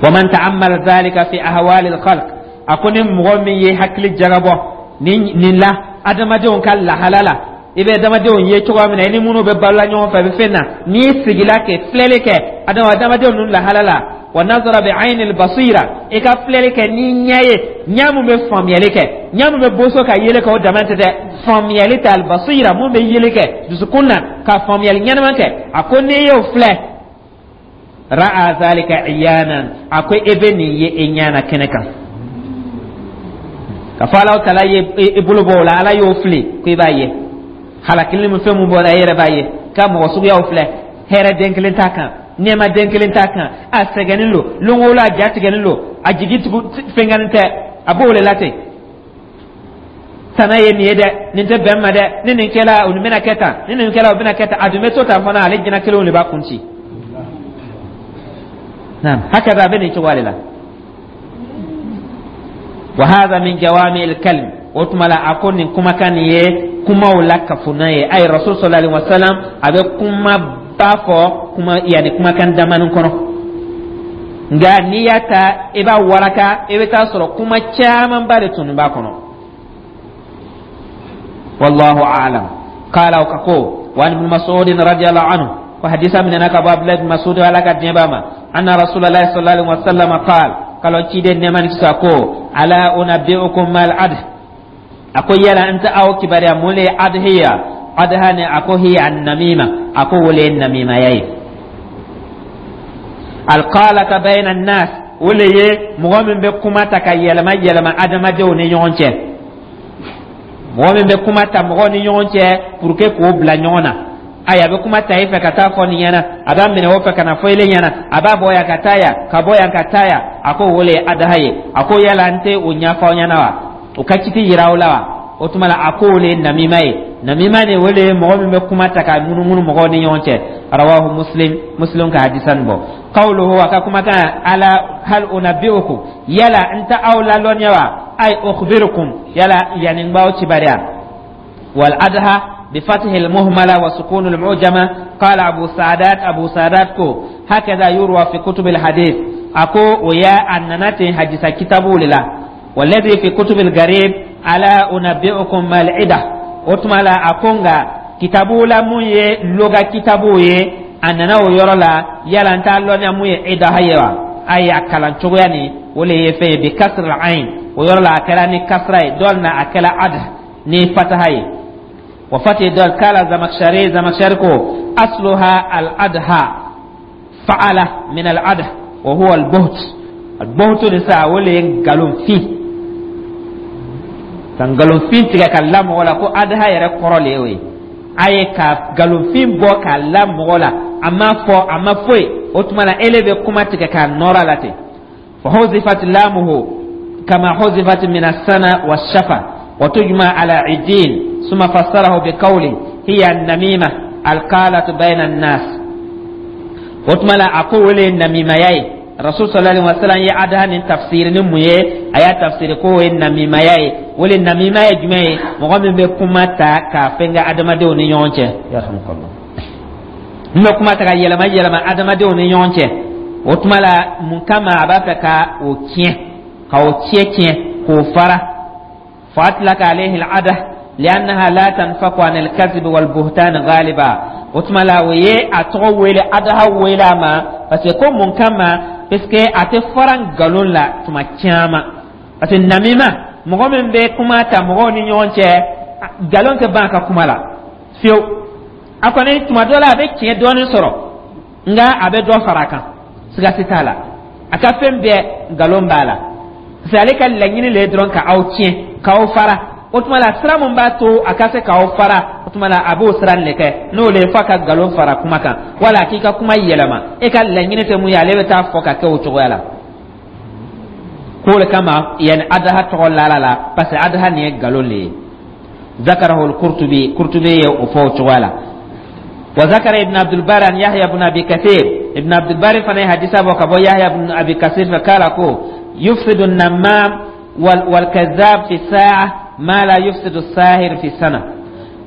Wa man ta'ammala dhalika fi ahwali al-khalq, a ko ni mɔgɔ min ye hakili jagabɔ nin la adamadenw ka lahala la, i bɛ adamadenw ye cogoya min na, i ni minnu bɛ balola ɲɔgɔn fɛ, i bɛ fɛn na, n'i sigila kɛ filɛli kɛ adamadenw ninnu lahala la, wa nazara bi ayni basira, i ka filɛli kɛ ni ɲɛ ye, ɲɛ mun bɛ faamuyali kɛ, ɲɛ mun bɛ boso ka yeli kɛ, o dama tɛ dɛ, faamuyali tɛ, albasira, mun bɛ yeli kɛ dusukun na ka faamuyali ɲɛnama kɛ. A ko n'i y'o filɛ, ra'a zalika iyanan, a ko e bɛ nin ye e ɲɛ na kɛnɛ kan, ka fɔ Alahu taala ye i bolo bɔ o la, Ala y'o fili ko i b'a ye halakili min fɛn mun bɔra, e yɛrɛ b'a ye ka mɔgɔ suguyaw filɛ, hɛrɛ den kelen t'a kan, nɛɛma den kelen t'a kan, a sɛgɛnnen don lon o lon, a ja tigɛlen don, a jigi tugu fɛnkanin tɛ, a b'o de la ten. Tana ye nin ye dɛ, nin tɛ bɛn ma dɛ, ni nin kɛla, o nin bɛna kɛ tan, ni nin kɛla, o bɛna kɛ tan. A dun bɛ to tan fana, ale jinɛ kelenw de b'a kun ci. Naam, hakaza, a bɛ nin cogoya de la. Wa hadha min jawami al-kalim. O tuma la, a ko nin kumakan nin ye kumaw la kafuna ye. Ayi, Rasul sallallahu alaihi wasallam a bɛ kuma ba fɔ kuma, yanni kumakan damanin kɔnɔ, nka n'i y'a ta, i b'a waraka, i bɛ taa sɔrɔ kuma camanba de tun b'a kɔnɔ. Wallahu a'lam. Qala, o ko wa an ibn Mas'ud radiyallahu anhu, ko hadisa minɛna ka bɔ Abdulahi ibn Mas'ud, Ala ka diɲɛ b'a ma, anna Rasulullah sallallahu alaihi wasallam qala, kalo ciden nɛɛma ni kisa ko: ala unabbi'ukum mal adh? A ko yala n tɛ aw kibaruya mun le ye adhiya, adha ni? A ko hiya an-namima, a ko wo le ye namimaya ye, alqalata bayna an-nas, o le ye mɔgɔ min bɛ kuma ta ka yɛlɛma yɛlɛma adamadenw ni ɲɔgɔn cɛ, mɔgɔ min bɛ kuma ta mɔgɔw ni ɲɔgɔn cɛ pour que k'o bila ɲɔgɔn na. Ayi, a bɛ kuma ta i fɛ ka taa fɔ nin ɲɛna, a b'a minɛ o fɛ ka na fɔ ile ɲɛna, a b'a bɔ yan ka taa yan, ka bɔ yan ka taa yan. A ko o le ye adaha ye. A ko yala n tɛ o ɲɛfɔ aw ɲɛna wa, o ka kiti yira aw la wa? O tuma la, a ko o le ye namima ye. Namima nin, o le ye mɔgɔ min bɛ kuma ta ka munumunu mɔgɔw ni ɲɔgɔn cɛ. Rawahu Muslim, Muslim ka hadisa nin bɔ. Qawluhu, a ka kumakan, ala hal unabbi'ukum, yala n tɛ aw lalɔnniya wa? Ay ukhbirukum, yala yani n b'aw kibaruya. Wal adha بفتح المهملة وسكون المعجمة. قال أبو سعدات، أبو سعدات كو هكذا يروى في كتب الحديث، أكو ويا أننا حديث كتابه لله. والذي في كتب الغريب ألا أنبئكم ما العدة. وتملا أكونغا kitabu la mun ye loga kitabu ye, a nana o yɔrɔ la, yala n t'a lɔnniya mun ye idaha ye wa? A ye a kalan cogoya nin, o le ye fɛn ye bi kasra ain, o yɔrɔ la a kɛra ni kasra ye, dɔw na a kɛra ad ni fataha ye, wa fati dɔl. Kala Zamakshari, Zamakshari ko asluha al adha fa'ala min al adh wa huwa al buht. Al buht ni sa, o le ye nkalonfin, ka nkalonfin tigɛ ka la mɔgɔ la, ko adha yɛrɛ kɔrɔ le y'o ye. A ye ka nkalonfin bɔ k'a la mɔgɔ la, a ma fɔ, a ma foyi, o tuma na ele bɛ kuma tigɛ k'a nɔrɔ la ten. Fa huzifat lamuhu kama huzifat min as-sana wa shafa wa tujma ala idin. Summa fassarahu bi qawli hiya an-namima alqalatu bayna an-nas. O tuma la, a ko wele namimaya ye. Rasul sallallahu alaihi wasallam ye adha nin tafsiri ni mun ye? A y'a tafsiri ko o ye namimaya ye. O le namima ye jumɛn ye? Mɔgɔ min bɛ kuma ta k'a fɛnkɛ adamadenw ni ɲɔgɔn cɛ, yarhamukallah, min bɛ kuma ta ka yɛlɛma yɛlɛma adamadenw ni ɲɔgɔn cɛ. O tuma la, mun kama? A b'a fɛ ka o tiɲɛ, ka o tiɲɛ tiɲɛ, k'o fara. Fa atlaka alayhi al-adha li'annaha la tanfaku an al-kadhib wal buhtan ghaliba. O tuma la, o ye a tɔgɔ wele, adaha wele a ma, parce que ko mun kama? Parce que a tɛ fara nkalon la tuma caman, parce que namima, mɔgɔ min bɛ kuma ta mɔgɔw ni ɲɔgɔn cɛ, nkalon tɛ ban a ka kuma la fiyewu. A kɔni tuma dɔ la, a bɛ tiɲɛ dɔɔnin sɔrɔ, nka a bɛ dɔ fara a kan, siga si t'a la. A ka fɛn bɛɛ nkalon b'a la, parce que ale ka laɲini le ye dɔrɔn ka aw tiɲɛ, k'aw fara. O tuma la, sira mun b'a to a ka se k'aw fara, o tuma la a b'o sira de kɛ, n'o le ye f'a ka nkalon fara kuma kan wala k'i ka kuma yɛlɛma. E ka laɲini tɛ mun ye, ale bɛ taa fɔ ka kɛ o cogoya la. K'o le kama yanni adaha tɔgɔ lala la, parce que adaha nin ye nkalon le ye. ذكره القرطبي، قرطبي o fɔ o cogoya la. وذكر ابن عبد البر عن يحيى بن ابي كثير، ابن عبد البر fana hadisa bɔ ka bɔ يحيى بن ابي كثير، فقال ko يفسد النمام والكذاب في الساعة ما لا يفسد الساهر في سنة.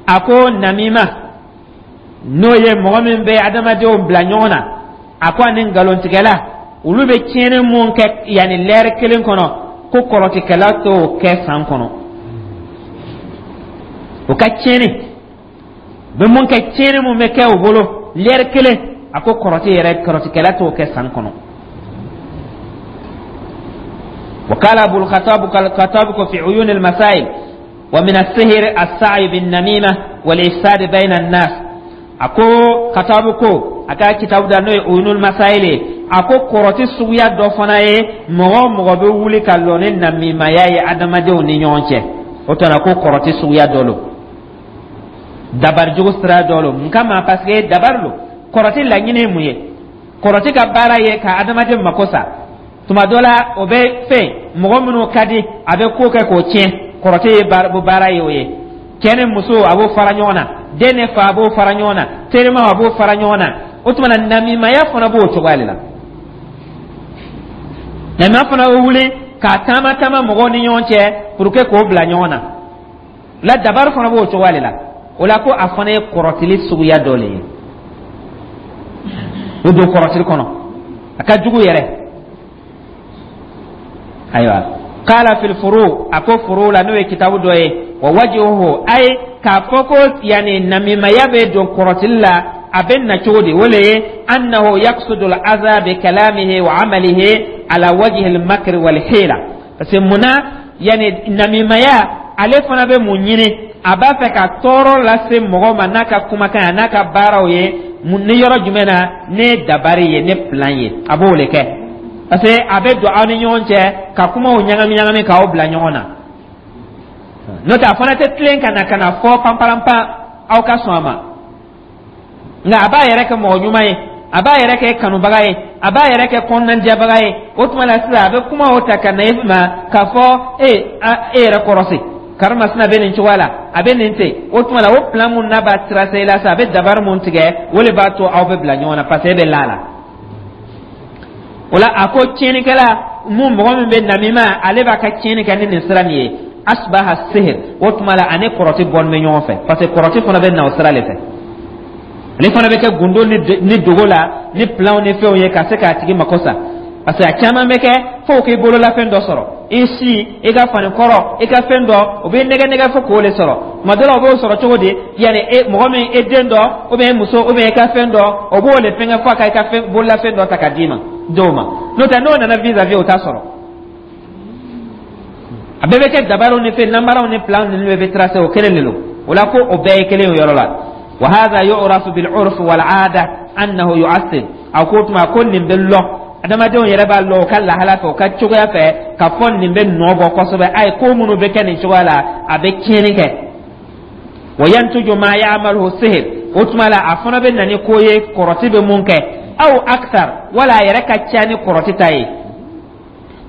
A ko namima, n'o ye mɔgɔ min bɛ adamadenw bila ɲɔgɔn na, a ko ani nkalontigɛla, olu bɛ tiɲɛni mun kɛ yanni lɛri kelen kɔnɔ, ko kɔrɔtikɛla t'o kɛ san kɔnɔ. O ka tiɲɛni bɛ mun kɛ, tiɲɛni mun bɛ kɛ o bolo lɛri kelen, a ko kɔrɔti yɛrɛ, kɔrɔtikɛla t'o kɛ san kɔnɔ. وقال أبو الخطاب، الخطاب في عيون المسائل: ومن السحر السعي بالنميمة والإفساد بين الناس. A ko Katabu ko a ka kitabu da, n'o ye Uyunul Masail, a ko kɔrɔti suguya dɔ fana ye mɔgɔ o mɔgɔ bɛ wuli ka lɔ ni namimaya ye adamadenw ni ɲɔgɔn cɛ. O tuma ko kɔrɔti suguya dɔ lo, dabarijugu sira dɔ lo. Mun kama? Parce que dabari lo. Kɔrɔti laɲini ye mun ye? Kɔrɔti ka baara ye ka adamaden mako sa. Tuma dɔ la, o bɛ fɛn mɔgɔ minnu ka di, a bɛ ko kɛ k'o tiɲɛ. Kɔrɔti ye baara ye, o ye cɛ ni muso, a b'o fara ɲɔgɔn na, den ni fa, a b'o fara ɲɔgɔn na, terimaw, a b'o fara ɲɔgɔn na. O tuma na, namimaya fana b'o cogoya de la. Namimaya fana bɛ wuli k'a taama taama mɔgɔw ni ɲɔgɔn cɛ pour que k'o bila ɲɔgɔn na la. Dabari fana b'o cogoya de la. O la, ko a fana ye kɔrɔtili suguya dɔ le ye. O don kɔrɔtili kɔnɔ, a ka jugu yɛrɛ. Ayiwa, قال في الفروع, a ko furu la, n'o ye kitabu dɔ ye, ووجهه, ay k'a fɔ ko yani namimaya bɛ don kɔrɔtili la, a bɛ na cogo di? O le ye أنه يقصد الأذى بكلامه وعمله على وجه المكر والحيلة. Parce que munna yani namimaya, ale fana bɛ mun ɲini? A b'a fɛ ka tɔɔrɔ lase mɔgɔ ma n'a ka kumakan ye, a n'a ka baaraw ye. Ni yɔrɔ jumɛn na? Ne dabari ye, ne plan ye, a b'o le kɛ, parce que a bɛ don aw ni ɲɔgɔn cɛ ka kumaw ɲagami ɲagami k'aw bila ɲɔgɔn na. N'o tɛ, a fana tɛ tilen ka na ka na fɔ panparanpan aw ka sɔn a ma, nka a b'a yɛrɛ kɛ mɔgɔ ɲuman ye, a b'a yɛrɛ kɛ kanubaga ye, a b'a yɛrɛ kɛ kɔnɔnajɛbaga ye. O tuma la sisan, a bɛ kumaw ta ka na e ma k'a fɔ e e yɛrɛ kɔrɔsi, karimasina bɛ nin cogoya la, a bɛ nin ten. O tuma la, o plan mun n'a b'a tracer la sisan, a bɛ dabari mun tigɛ, o de b'a to aw bɛ bila ɲɔgɔn na, parce que e bɛ la la. O la, a ko tiɲɛnikɛla mun, mɔgɔ min bɛ namima, ale b'a ka tiɲɛni kɛ ni nin sira nin ye, أشبه السحر. O tuma la, ani kɔrɔti bɔlen bɛ ɲɔgɔn fɛ, parce que kɔrɔti fana bɛ na o sira de fɛ. Ale fana bɛ kɛ gundo ni dogo la, ni planw ni fɛnw ye, ka se k'a tigi mako sa, parce que a caman bɛ kɛ fo k'i bololafɛn dɔ sɔrɔ, i si, i ka fani kɔrɔ, i ka fɛn dɔ, o bɛ nɛgɛ nɛgɛ fo k'o de sɔrɔ. Tuma dɔ la, o b'o sɔrɔ cogo di? Yanni e mɔgɔ min, e den dɔ, ou bien e muso, ou bien e ka fɛn dɔ, o b'o de fɛngɛ fo a ka i ka fɛn, bololafɛn dɔ ta ka d'i ma dɔw ma. N'o tɛ, n'o nana vis-à-vis, o t'a sɔrɔ. A bɛɛ bɛ kɛ dabariw ni fɛn namaraw ni plan ninnu bɛɛ bɛ tracer, o kelen de don. O la, ko o bɛɛ ye kelen o yɔrɔ la. وهذا يعرف بالعرف والعادة أنه يؤثر. A ko tuma ko nin bɛ lɔ, adamadenw yɛrɛ b'a lɔ o ka lahala fɛ, o ka cogoya fɛ, ka fɔ nin bɛ nɔ bɔ kosɛbɛ. A ye ko minnu bɛ kɛ nin cogoya la, a bɛ tiɲɛni kɛ. وينتج ما يعمله السحر. O tuma la, a fana bɛ na ni ko ye kɔrɔti bɛ mun kɛ, أو أكثر, wala a yɛrɛ ka ca ni kɔrɔti ta ye.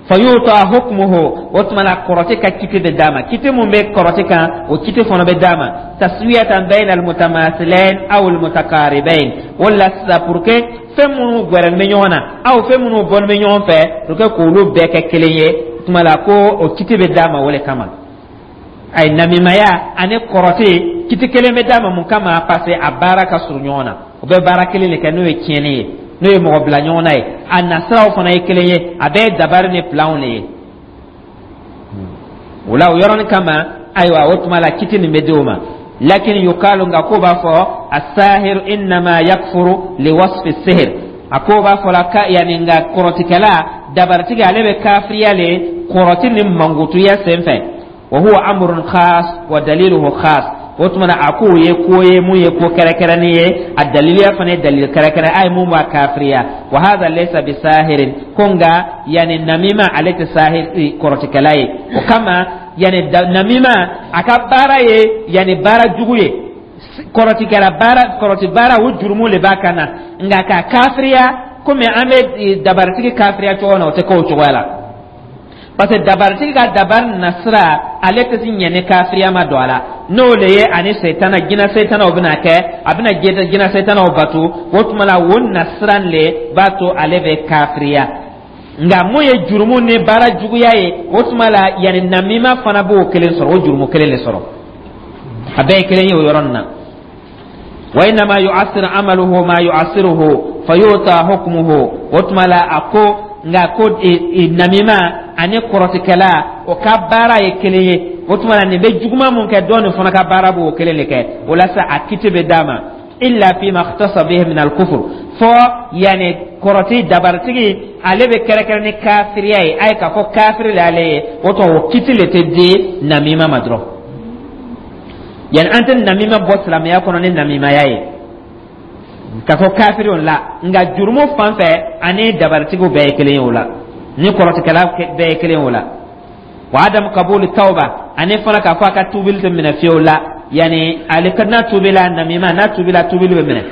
فيعطى حكمه. O tuma la, kɔrɔti ka kiti bɛ d'a ma. Kiti mun bɛ kɔrɔti kan, o kiti fana bɛ d'a ma. تسوية بين المتماثلين أو المتقاربين. O la sisan, pour que fɛn minnu gwɛrɛlen bɛ ɲɔgɔn na aw, fɛn minnu bɔlen bɛ ɲɔgɔn fɛ, pour que k'olu bɛɛ kɛ kelen ye, o tuma la ko o kiti bɛ d'a ma o le kama. Ayi, namimaya ani kɔrɔti, kiti kelen bɛ d'a ma. Mun kama? Parce que a baara ka surun ɲɔgɔn na, o bɛ baara kelen de kɛ, n'o ye tiɲɛni ye, n'o ye mɔgɔ bila ɲɔgɔn na ye. A nasiraw fana ye kelen ye, a bɛɛ ye dabari ni planw de ye. O la, o yɔrɔnin kama, ayiwa, o tuma la kiti nin bɛ di o ma. لكن يقال, nka ko b'a fɔ, الساحر إنما يكفر لوصف السحر. A ko b'a fɔ la ka yanni, nka kɔrɔtikɛla, dabaritigi, ale bɛ kafiriya le kɔrɔti ni mankutuya sen fɛ. وهو أمر خاص ودليله خاص. O tuma na, a k'o ye ko ye mun ye ko kɛrɛkɛrɛnnen ye, a daliliya fana ye dalil kɛrɛkɛrɛn a ye mun b'a kafiriya. وهذا ليس بساحر. Ko nka yanni namima, ale tɛ sahir, kɔrɔtikɛla ye. O kama Yani namima, a ka baara ye yani baara jugu ye, kɔrɔtikɛla baara, kɔrɔti baara, o jurumu le b'a kan na. Nka ka kafiriya komi an bɛ dabaritigi kafiriya cogo min na, o tɛ kɛ o cogoya la, parce que dabaritigi ka dabari nasira, ale tɛ se ɲɛ ni kafiriya ma don a la. N'o le ye ani setana, jinɛ setanaw bɛna kɛ, a bɛna jinɛ setanaw batu. O tuma la, o nasira le b'a to ale bɛ kafiriya. Nka mun ye jurumu ni baara juguya ye, o tuma la, yanni namima fana b'o kelen sɔrɔ, o jurumu kelen de sɔrɔ, a bɛɛ ye kelen ye o yɔrɔ nin na. Wa innama yu'assir amaluhu ma yu'assiruhu fayuta hukmuhu. O tuma la, a ko nka ko namima ani kɔrɔtikɛla, o ka baara ye kelen ye. O tuma la, nin bɛ juguman mun kɛ, dɔ nin fana ka baara b'o kelen de kɛ. O la sa, a kiti bɛ d'a ma illa fima ikhtassa bihi min al-kufr. Fɔ yani kɔrɔti dabaritigi, ale bɛ kɛrɛkɛrɛ ni kafiriya ye, a ye k'a fɔ kafiri le ale ye, o tuma o kiti le tɛ di namima ma dɔrɔn. Yani an tɛ namima bɔ silamɛya kɔnɔ ni namimaya ye k'a fɔ kafiri o la. Nka jurumu fan fɛ, ani dabaritigiw bɛɛ ye kelen ye o la, ni kɔrɔtikɛla bɛɛ ye kelen ye o la. Wa adam kabuli tawba, ani fana k'a fɔ a ka tubili tɛ minɛ fiyewu la. Yani ale ka n'a tubila, namima n'a tubila, tubili bɛ minɛ.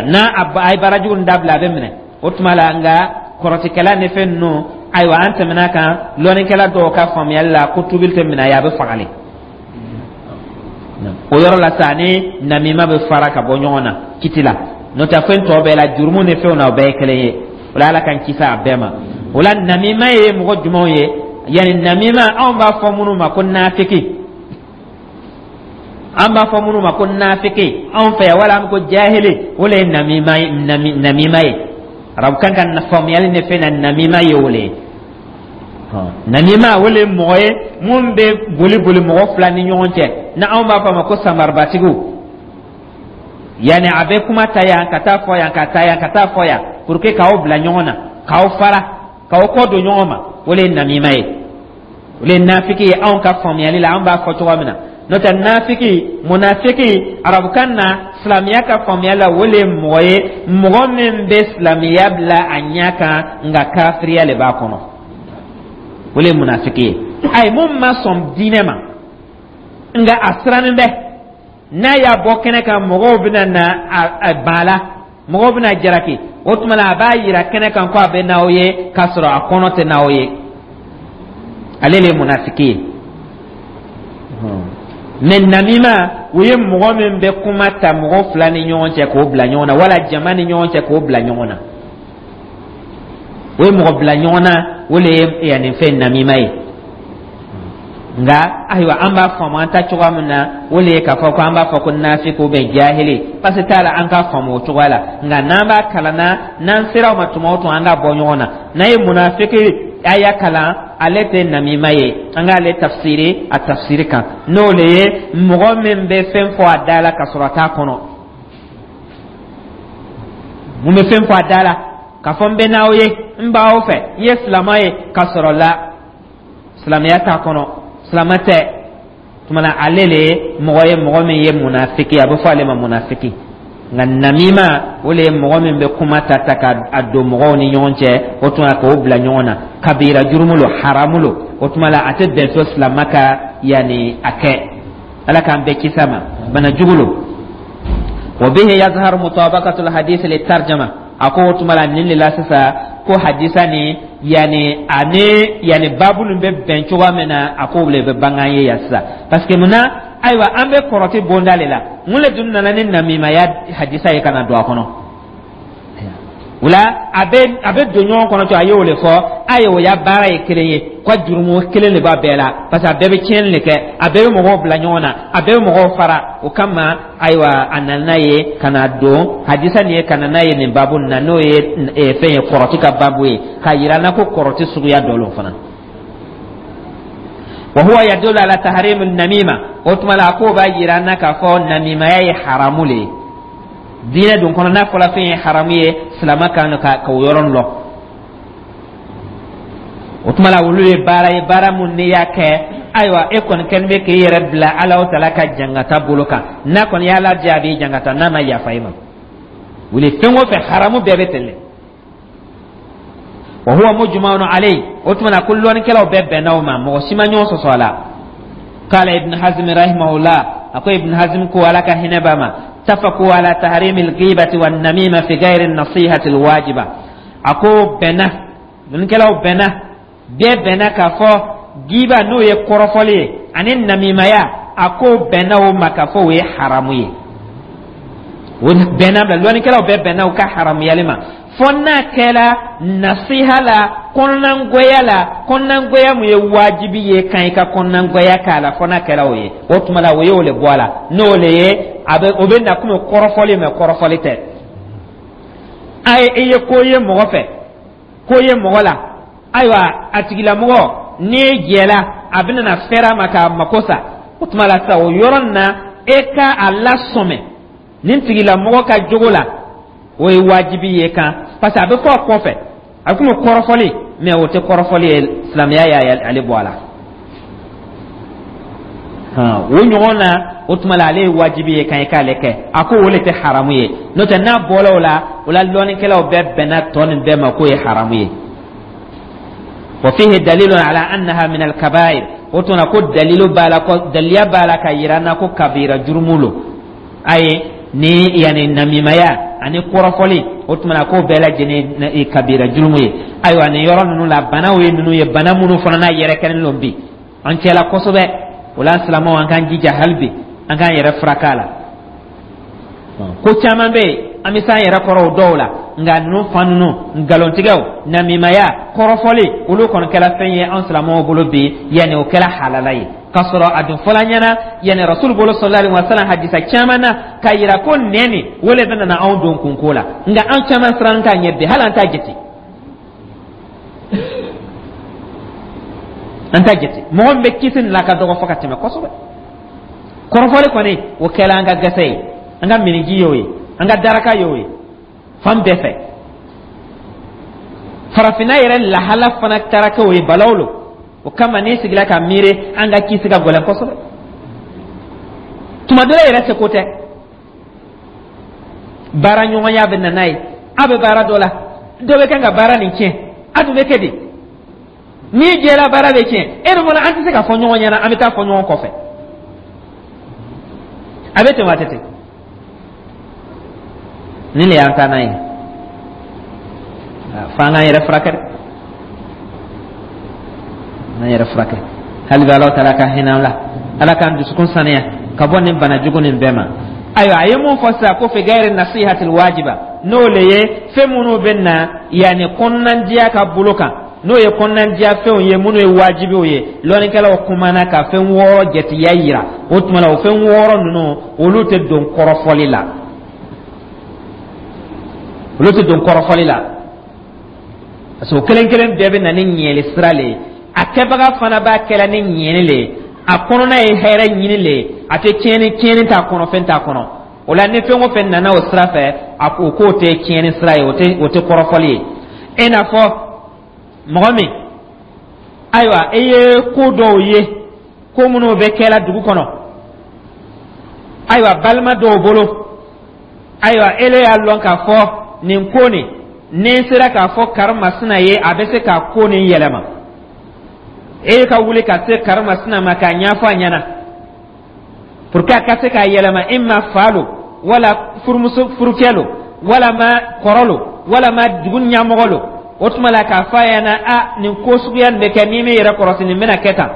N'a a ye baara jugu dabila, a bɛ minɛ o tuma la. Nka kɔrɔtikɛla ni fɛn ninnu, ayiwa, an tɛmɛna kan lɔnnikɛla dɔw ka faamuyali la ko tubili tɛ minɛ a ye, a bɛ fagali o yɔrɔ la sa, ni namima bɛ fara ka bɔ ɲɔgɔn na kiti la. N'o tɛ, fɛn tɔ bɛɛ la, jurumu ni fɛnw na, o bɛɛ ye kelen ye o la. Ala k'an kisi a bɛɛ ma. O la, namima ye mɔgɔ jumɛnw ye? Yanni namima, anw b'a fɔ minnu ma ko nafiki, an b'a fɔ minnu ma ko nafiki anw fɛ yan, wala an ko jahili, o le ye namima ye. Namima ye, arabukan ka faamuyali ni fɛn na, namima ye o le ye. Namima, o le ye mɔgɔ ye mun bɛ boli boli mɔgɔ fila ni ɲɔgɔn cɛ, na anw b'a fɔ a ma ko samaribatigiw. Yanni a bɛ kuma ta yan ka taa fɔ yan, ka taa yan ka taa fɔ yan, pour que k'aw bila ɲɔgɔn na, k'aw fara, k'aw kɔ don ɲɔgɔn ma, o le ye namima ye, o le ye nafiki ye anw ka faamuyali la, an b'a fɔ cogoya min na. N'o tɛ, nafiki, munafiki arabukan na, silamɛya ka faamuya la, o le ye mɔgɔ ye, mɔgɔ min bɛ silamɛya bila a ɲɛ kan, nka kafiriya le b'a kɔnɔ, o le ye munafiki ye. Ayi, mun ma sɔn diinɛ ma, nka a sirannen bɛ n'a y'a bɔ kɛnɛ kan, mɔgɔw bɛna na a ban la, mɔgɔw bɛna jalaki. O tuma la, a b'a yira kɛnɛ kan ko a bɛ n'aw ye, k'a sɔrɔ a kɔnɔ tɛ n'aw ye, ale le ye munafiki ye. Mɛ namima, o ye mɔgɔ min bɛ kuma ta mɔgɔ fila ni ɲɔgɔn cɛ k'o bila ɲɔgɔn na, wala jama ni ɲɔgɔn cɛ k'o bila ɲɔgɔn na, o ye mɔgɔ bila ɲɔgɔn na, o le ye yanni fɛn namima ye. Nka ayiwa, an b'a faamu an ta cogoya min na, o le ye k'a fɔ ko an b'a fɔ ko nafiki ou bien jahili, parce que t'a la an k'a faamu o cogoya la. Nka n'an b'a kalan na, n'an sera o ma tuma o tuma, an k'a bɔ ɲɔgɔn na. N'an ye munafiki a y'a kalan, ale tɛ namima ye, an k'ale tafsiri a tafsiri kan, n'o le ye mɔgɔ min bɛ fɛn fɔ a da la ka sɔrɔ a t'a kɔnɔ. Mun bɛ fɛn fɔ a da la k'a fɔ n bɛ n'aw ye, n b'aw fɛ, n ye silamɛ ye, ka sɔrɔ la silamɛya t'a kɔnɔ, silamɛ tɛ. Tuma na, ale le ye mɔgɔ ye, mɔgɔ min ye munafiki, a bɛ fɔ ale ma munafiki. Nka namima, o le ye mɔgɔ min bɛ kuma ta ta ka a don mɔgɔw ni ɲɔgɔn cɛ, o tuma k'o bila ɲɔgɔn na. Kabira jurumu lo, haramu lo. O tuma la, a tɛ bɛn so silamɛ ka yanni a kɛ. Ala k'an bɛɛ kisi a ma, bana jugu lo. Wa bihi yazharu mutabaqatul hadith li tarjama. A ko o tuma la, nin de la sisan ko hadisa ni yanni ani yanni baabu nin bɛ bɛn cogoya min na, a ko le bɛ bange an ye yan sisan. Parce que munna? Ayiwa, an bɛ kɔrɔti bonda le la. Mun le dun nana ni namimaya hadisa ye ka na don a kɔnɔ? O la, a bɛ don ɲɔgɔn kɔnɔ cogo, a y'o le fɔ. A ye o ya baara ye kelen ye ko jurumu kelen de b'a bɛɛ la, parce que a bɛɛ bɛ tiɲɛni de kɛ, a bɛɛ bɛ mɔgɔw bila ɲɔgɔn na, a bɛɛ bɛ mɔgɔw fara. O kama, ayiwa, a nana n'a ye ka na don hadisa nin ye, ka na n'a ye nin baabu nin na, n'o ye fɛn ye, kɔrɔti ka baabu ye, k'a yira n na ko kɔrɔti suguya dɔ lo fana. Wa huwa yadullu ala tahrim namima. O tuma la, a k'o b'a yira n na k'a fɔ namimaya ye haramu le ye diinɛ dun kɔnɔ. N'a fɔra fɛn ye haramu ye, silamɛ kan ka k'o yɔrɔ lɔn. O tuma la, olu ye baara ye, baara mun n'i y'a kɛ, ayiwa, e kɔni kɛlen bɛ k'e yɛrɛ bila Alahu taala ka jangata bolo kan. N'a kɔni y'a lajɛ, a b'i jangata, n'a ma yafa i ma. Wuli fɛn o fɛn, haramu bɛɛ bɛ ten. Wa huwa mujma'un alayhi. O tuma na, ko lɔnnikɛlaw bɛɛ bɛnna o ma, mɔgɔ si ma ɲɔgɔn sɔsɔ a la. Qala Ibn Hazm rahimahullah, a ko Ibn Hazm ko, Ala ka hinɛ b'a ma, tafaqu ala tahrimi al-ghibati wan namima fi ghayri an-nasihati al-wajiba. A ko bɛnna, lɔnnikɛlaw bɛnna, bɛɛ bɛnna k'a fɔ giba, n'o ye kɔrɔfɔli ye, ani namimaya, a ko bɛnna o ma k'a fɔ o ye haramu ye. O bɛnna bila, lɔnnikɛlaw bɛɛ bɛnna u ka haramuyali ma, fɔ n'a kɛra nasiha la, kɔnɔnangoya la, kɔnɔnangoya mun ye wajibi ye kan i ka kɔnɔnangoya k'a la. Fɔ n'a kɛra o ye, o tuma la, o ye o le bɔ a la, n'o le ye a bɛ o bɛ na komi kɔrɔfɔli, mɛ kɔrɔfɔli tɛ. A ye, i ye ko ye mɔgɔ fɛ, ko ye mɔgɔ la, ayiwa, a tigilamɔgɔ n'i jɛla, a bɛna na fɛrɛ a ma k'a mako sa. O tuma la sisan, o yɔrɔ nin na, e ka a lasɔmɛ nin tigilamɔgɔ ka jogo la, o ye wajibi ye kan, parce que a bɛ fɔ a kɔfɛ, a bɛ komi kɔrɔfɔli, mɛ o tɛ kɔrɔfɔli ye, silamɛya y'ale bɔ a la. O ɲɔgɔn na, o tuma la, ale ye wajibi ye kan i k'ale kɛ. A ko o le tɛ haramu ye, n'o tɛ, n'a bɔra o la, o la lɔnnikɛlaw bɛɛ bɛnna tɔ nin bɛɛ ma k'o ye haramu ye. Wa fihi dalilun ala annaha min al-kabair. O tuma ko dalilu b'a la, ko daliya b'a la ka yira n na ko kabira jurumu lo. Ayi, ni yanni namimaya ani kɔrɔfɔli, o tuma na, k'o bɛɛ lajɛlen kabira jurumu ye. Ayiwa, nin yɔrɔ ninnu la, banaw ye ninnu ye, bana minnu fana n'a yɛrɛ kɛlen don bi an cɛla kosɛbɛ. O la, silamɛw, an k'an jija hali bi, an k'an yɛrɛ furakɛ a la. Ko caman bɛ yen, an bɛ s'an yɛrɛ kɔrɔ o dɔw la, nka ninnu fan ninnu, nkalontigɛw, namimaya, kɔrɔfɔli, olu kɔni kɛra fɛn ye an silamɛw bolo bi, yanni o kɛra halala ye, k'a sɔrɔ a dun fɔla ɲɛna, yanni Rasulu bolo sallallahu alaihi wa sallam, hadisa caman na k'a yira ko nɛn nin o le bɛ na anw don kunko la. Nka an caman siran t'a ɲɛ bi, hali an t'a jate, an t'a jate. Mɔgɔ min bɛ kisi nin la ka dɔgɔ fɔ ka tɛmɛ kosɛbɛ. Kɔrɔfɔli kɔni, o kɛla an ka gɛsɛ ye, an ka miniji y'o ye, an ka daraka y'o ye fan bɛɛ fɛ. Farafinna yɛrɛ lahala fana taara kɛ o ye, balaw lo. O kama, n'i sigila ka miiri, an ka kisi ka gɛlɛn kosɛbɛ. Tuma dɔ la yɛrɛ, seko tɛ, baara ɲɔgɔnya bɛ na n'a ye. A bɛ baara dɔ la, dɔ bɛ kan ka baara nin tiɲɛ, a dun bɛ kɛ di? N'i jɛra, baara bɛ tiɲɛ. E dun fana, an tɛ se ka fɔ ɲɔgɔn ɲɛna, an bɛ taa fɔ ɲɔgɔn kɔfɛ. A bɛ ten wa, a tɛ ten? Nin de y'an taa n'a ye f'an k'an yɛrɛ furakɛ dɛ, an yɛrɛ furakɛ hali bi. Ala taala ka hinɛ an la, Ala k'an dusukun saniya ka bɔ nin bana jugu nin bɛɛ ma. Ayiwa, a ye mun fɔ sisan? Ko fi gayri nasihatil wajiba, n'o le ye fɛn minnu bɛ na yanni kɔnɔnandiya ka bolo kan, n'o ye kɔnɔnandiya fɛnw ye minnu ye wajibiw ye. Lɔnnikɛlaw kumana ka fɛn wɔɔrɔ jatiya yira. O tuma la, o fɛn wɔɔrɔ ninnu, olu tɛ don kɔrɔfɔli la, olu tɛ don kɔrɔfɔli la, parce que o kelen kelen bɛɛ bɛ na ni ɲɛli sira le ye. A kɛbaga fana b'a kɛla ni ɲɛni le ye, a kɔnɔna ye hɛrɛ ɲini le ye, a tɛ tiɲɛni, tiɲɛni t'a kɔnɔ, fɛn t'a kɔnɔ. O la, ni fɛn o fɛn nana o sira fɛ, a ko k'o tɛ tiɲɛni sira ye, o tɛ kɔrɔfɔli ye. E n'a fɔ mɔgɔ min, ayiwa, e ye ko dɔw ye, ko minnu bɛ kɛla dugu kɔnɔ, ayiwa, balima dɔw bolo, ayiwa, ele y'a lɔn k'a fɔ nin ko nin, ni n sera k'a fɔ karimasina ye, a bɛ se ka ko nin yɛlɛma. E ka wuli ka se karimasina ma k'a ɲɛfɔ a ɲɛna pour que a ka se k'a yɛlɛma, i ma fa lo, wala furumuso furukɛ lo, wala ma kɔrɔ lo, wala ma dugu ɲɛmɔgɔ lo. O tuma la, k'a fɔ a ɲɛna: a nin ko suguya nin bɛ kɛ, n'i m'i yɛrɛ kɔlɔsi, nin bɛna kɛ tan.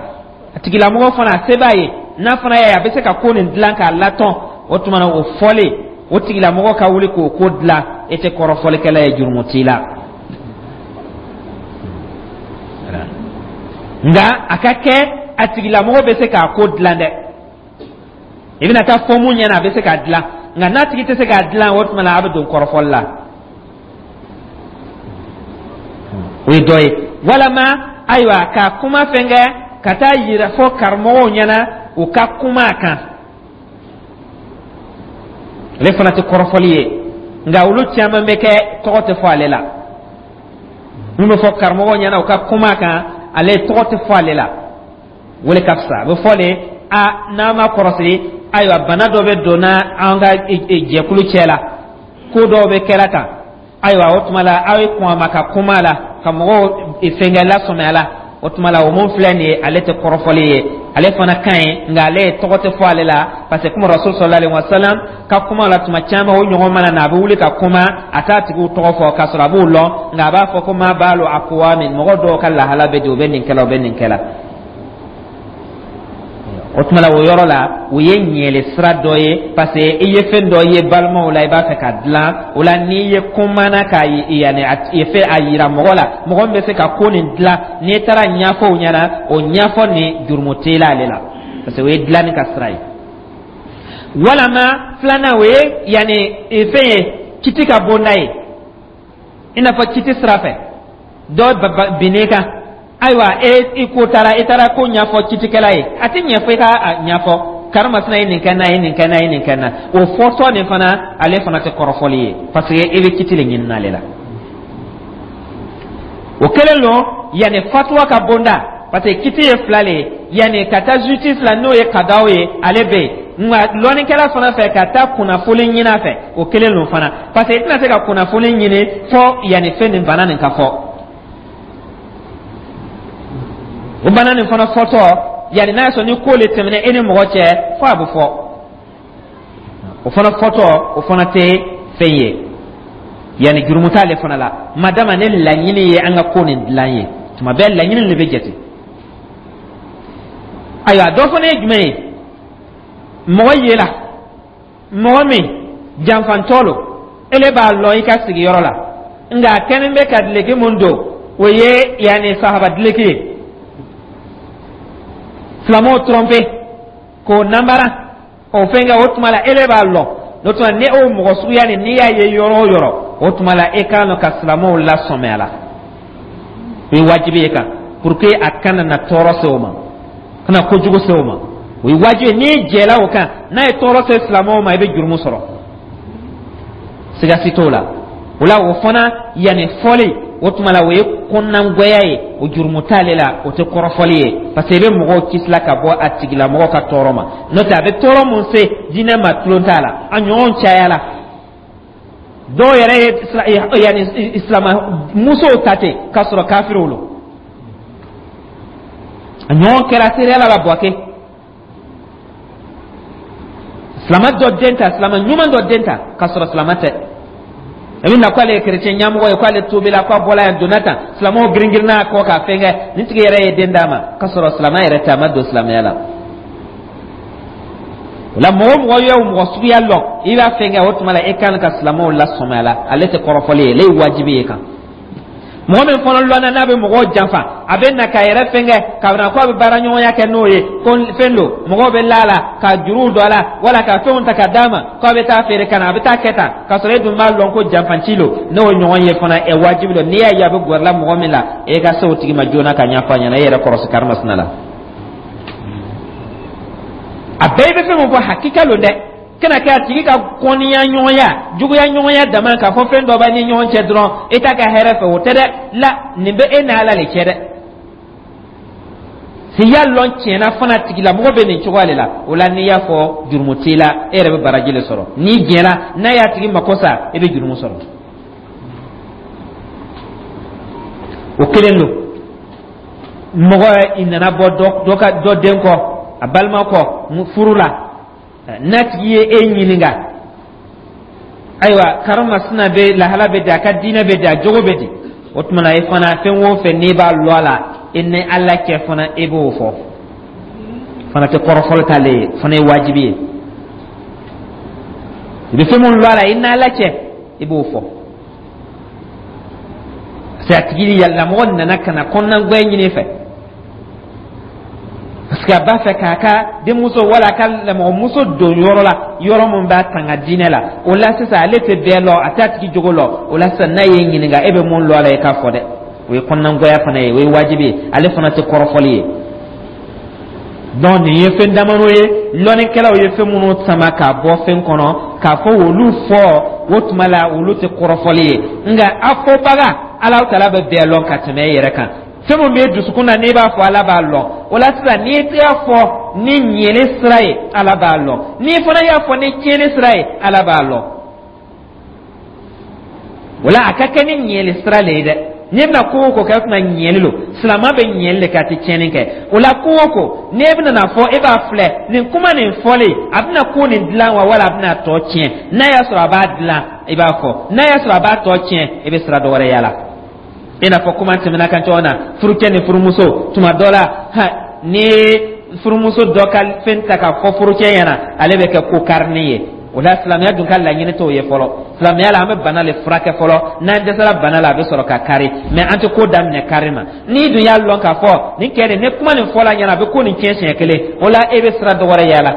A tigilamɔgɔ fana, a se b'a ye, n'a fana y'a ye a bɛ se ka ko nin dilan k'a latɔn, o tuma na, o fɔlen, o tigilamɔgɔ ka wuli k'o ko dilan, e tɛ kɔrɔfɔlikɛla ye, jurumu t'i la. Nka a ka kɛ a tigilamɔgɔ bɛ se k'a ko dilan dɛ. I bɛna taa fɔ mun ɲɛna, a bɛ se k'a dilan. Nka n'a tigi tɛ se k'a dilan, o tuma na, a bɛ don kɔrɔfɔli la. O ye dɔ ye. Walama, ayiwa, ka kuma fɛn kɛ ka taa yira fɔ karamɔgɔw ɲɛna, u ka kuma a kan, ale fana tɛ kɔrɔfɔli ye. Nka olu caman bɛ kɛ, tɔgɔ tɛ fɔ ale la. Mun bɛ fɔ karamɔgɔw ɲɛna, u ka kuma a kan, ale tɔgɔ tɛ fɔ ale la, o le ka fisa. A bɛ fɔ de a n'an ma kɔrɔsi, ayiwa, bana dɔ bɛ donna an ka jɛkulu cɛ la, ko dɔw bɛ kɛla tan. Ayiwa, o tuma la, aw ye kɔn a ma ka kuma a la, ka mɔgɔw fɛnkɛ lasɔmi a la. O tuma la, o mun filɛ nin ye, ale tɛ kɔrɔfɔli ye, ale fana ka ɲi, nka ale tɔgɔ tɛ fɔ ale la, parce que kuma Rasul sallallahu alaihi wasallam ka kuma la, tuma caman o ɲɔgɔn mana na, a bɛ wuli ka kuma, a t'a tigiw tɔgɔ fɔ, k'a sɔrɔ a b'u lɔn, nka a b'a fɔ ko ma balu aqwamin, mɔgɔ dɔw ka lahala bɛ di, u bɛ nin kɛla, u bɛ nin kɛla. O tuma la, o yɔrɔ la, o ye ɲɛli sira dɔ ye, parce que i ye fɛn dɔ ye balimaw la, i b'a fɛ ka dilan o la. N'i ye kumana ka yanni a fɛ a yira mɔgɔ la, mɔgɔ min bɛ se ka ko nin dilan, n'i taara ɲɛfɔ o ɲɛna, o ɲɛfɔ nin, jurumu t'e la ale la, parce que o ye dilanni ka sira ye. Walama filanan, o ye yanni fɛn ye kiti ka bonda ye, i n'a fɔ kiti sira fɛ, dɔ binn'e kan. Ayiwa, e i ko taara, i taara ko ɲɛfɔ kitikɛla ye, a tɛ ɲɛfɔ i ka ɲɛfɔ karimasina ye nin kɛ n na, ye nin kɛ n na, ye nin kɛ n na. O fɔtɔ nin fana, ale fana tɛ kɔrɔfɔli ye, parce que e bɛ kiti de ɲini n'ale la. O kelen don yanni fatuwa ka bonda, parce que kiti ye fila le ye. Yanni ka taa justice la, n'o ye kadaw ye, ale bɛ yen, nka lɔnnikɛla fana fɛ ka taa kunnafoni ɲini a fɛ, o kelen don fana, parce que i tɛna se ka kunnafoni ɲini fɔ yanni fɛn nin bana nin ka fɔ. O bana nin fana fɔtɔ, yanni n'a y'a sɔrɔ ni ko le tɛmɛna e ni mɔgɔ cɛ, fo a bɛ fɔ. O fana fɔtɔ, o fana tɛ fɛn ye, yanni jurumu t'ale fana la, madama ne laɲini ye an ka ko nin dilan ye. Tuma bɛɛ laɲini de bɛ jate. Ayiwa, dɔ fana ye jumɛn ye? Mɔgɔ yela mɔgɔ min janfantɔ lo, ele b'a lɔn i ka sigiyɔrɔ la, nka a kɛlen bɛ ka dileki mun don, o ye yanni sahaba dileki ye, silamɛw tromper k'o nanbara o fɛn kɛ. O tuma la, ele b'a lɔn. O tuma, ni o mɔgɔ suguya nin, n'i y'a ye yɔrɔ o yɔrɔ, o tuma la, e kan ka silamɛw lasɔmi a la. O ye wajibi ye kan, pour que a kana na tɔɔrɔ se o ma, kana kojugu se o ma. O ye wajibi ye. N'i jɛla o kan, n'a ye tɔɔrɔ se silamɛw ma, i bɛ jurumu sɔrɔ, siga si t'o la. O la, o fana yanni fɔli, o tuma la, o ye kɔnɔnagwɛya ye, o jurumu t'ale la, o tɛ kɔrɔfɔli ye, parce que i bɛ mɔgɔw kisila ka bɔ a tigilamɔgɔ ka tɔɔrɔ ma. N'o tɛ, a bɛ tɔɔrɔ mun se diinɛ ma, tulon t'a la, a ɲɔgɔn cayala. Dɔw yɛrɛ ye yanni silama musow ta ten k'a sɔrɔ kafiriw lo. A ɲɔgɔn kɛra seereyala la Buwake, silama dɔ den ta, silama ɲuman dɔ den ta k'a sɔrɔ silama tɛ. A bɛ na k'ale ye kerecɛn ɲɛmɔgɔ ye, k'ale tobila, k'a bɔla yan, donna tan, silamɛw girin-girinna a kɔ k'a fɛn kɛ. Nin tigi yɛrɛ ye den d'a ma k'a sɔrɔ silama yɛrɛ tɛ, a ma don silamɛya la. O la, mɔgɔ o mɔgɔ ye o mɔgɔ suguya lɔn, i b'a fɛn kɛ, o tuma la, e kan ka silamɛw lasɔmi a la. Ale tɛ kɔrɔfɔli ye, ale ye wajibi ye kan. Mɔgɔ min fana lɔnna n'a bɛ mɔgɔw janfa, a bɛ na k'a yɛrɛ fɛn kɛ, k'a na ko a bɛ baara ɲɔgɔnya kɛ n'o ye, ko fɛn don, mɔgɔw bɛ la a la ka juruw don a la, wala ka fɛnw ta ka d'a ma k'a bɛ taa feere ka na, a bɛ taa kɛ tan, k'a sɔrɔ e dun b'a lɔn ko janfanci don. N'o ɲɔgɔn ye fana, ɛ, wajibi don, n'i y'a ye a bɛ gɛrɛla mɔgɔ min la, e ka se o tigi ma joona ka ɲɛfɔ a ɲɛna, e yɛrɛ kɔrɔsi karimasina la. A bɛɛ bɛ fɛn min fɔ, hakika don dɛ. Kana kɛ a tigi ka kɔniya ɲɔgɔnya, juguya ɲɔgɔnya dama, k'a fɔ fɛn dɔ b'a ni ɲɔgɔn cɛ dɔrɔn, e t'a ka hɛrɛ fɛ, o tɛ dɛ. La nin bɛ e n'Ala le cɛ dɛ. Si y'a lɔn tiɲɛna fana tigilamɔgɔ bɛ nin cogoya de la, o la, n'i y'a fɔ, jurumu t'i la, e yɛrɛ bɛ baraji de sɔrɔ. N'i jɛra n'a y'a tigi mako sa, e bɛ jurumu sɔrɔ. O kelen don. Mɔgɔ i nana bɔ dɔ ka dɔ den kɔ, a balima kɔ furu la, n'a tigi ye e ɲininka: ayiwa, karimasina bɛ lahala bɛ di, a ka diinɛ bɛ di, a jogo bɛ di? O tuma na, e fana, fɛn o fɛn n'i b'a lɔn a la, e ni Ala cɛ fana, e b'o fɔ fana. Tɛ kɔrɔfɔli t'ale ye fana, ye wajibi ye. I bɛ fɛn min lɔn a la, i n'Ala cɛ, i b'o fɔ, parce que a tigi yɛlɛlamɔgɔ nana ka na kɔnɔnagwɛ ɲini fɛ, parce que a b'a fɛ k'a ka denmuso wala a ka lamɔgɔmuso don yɔrɔ la, yɔrɔ min b'a tanga diinɛ la. O la sisan, ale tɛ bɛɛ lɔn, a t'a tigi jogo lɔn. O la sisan, n'a y'e ɲininka, e bɛ mun lɔn a la, i k'a fɔ dɛ. O ye kɔnɔnagwɛya fana ye, o ye wajibi ye, ale fana tɛ kɔrɔfɔli ye. Donc nin ye fɛn damadɔ ye, lɔnnikɛlaw ye fɛn minnu sama k'a bɔ fɛn kɔnɔ k'a fɔ olu fɔ. O tuma la, olu tɛ kɔrɔfɔli ye, nka a fɔbaga, Alahu taala bɛ bɛɛ lɔn ka tɛmɛ e yɛrɛ kan. Fɛn min b'e dusukun na, n'i b'a fɔ, Ala b'a lɔn. O la sisan, n'i y'a fɔ ni ɲɛni sira ye, Ala b'a lɔn. N'i fana y'a fɔ ni tiɲɛni sira ye, Ala b'a lɔn. O la, a ka kɛ ni ɲɛli sira le ye dɛ. N'i bɛna ko o ko kɛ, o tuma ɲɛli lo. Silamɛ bɛ ɲɛli de kɛ, a tɛ tiɲɛni kɛ. O la, ko o ko n'e bɛna na fɔ, e b'a filɛ nin kuma nin fɔlen, a bɛna ko nin dilan wa, wala a bɛna tɔ tiɲɛ? N'a y'a sɔrɔ a b'a dilan, i b'a fɔ. N'a y'a sɔrɔ a b'a tɔ tiɲɛ, i bɛ sira dɔ wɛrɛ yala. I n'a fɔ kuma tɛmɛna kan cogo min na, furucɛ ni furumuso, tuma dɔ la, ha, ni furumuso dɔ ka fɛn ta ka fɔ furucɛ ɲɛna, ale bɛ kɛ ko karini ye. O la, silamɛya dun ka laɲini t'o ye fɔlɔ. Silamɛya la, an bɛ bana le furakɛ fɔlɔ. N'an dɛsɛra bana la, a bɛ sɔrɔ ka kari. Mɛ an tɛ ko daminɛ kari ma. N'i dun y'a lɔn k'a fɔ nin kɛ de, ni kuma nin fɔla ɲɛna, a bɛ ko nin tiɲɛ siɲɛ kelen, o la e bɛ sira dɔ wɛrɛ yaala.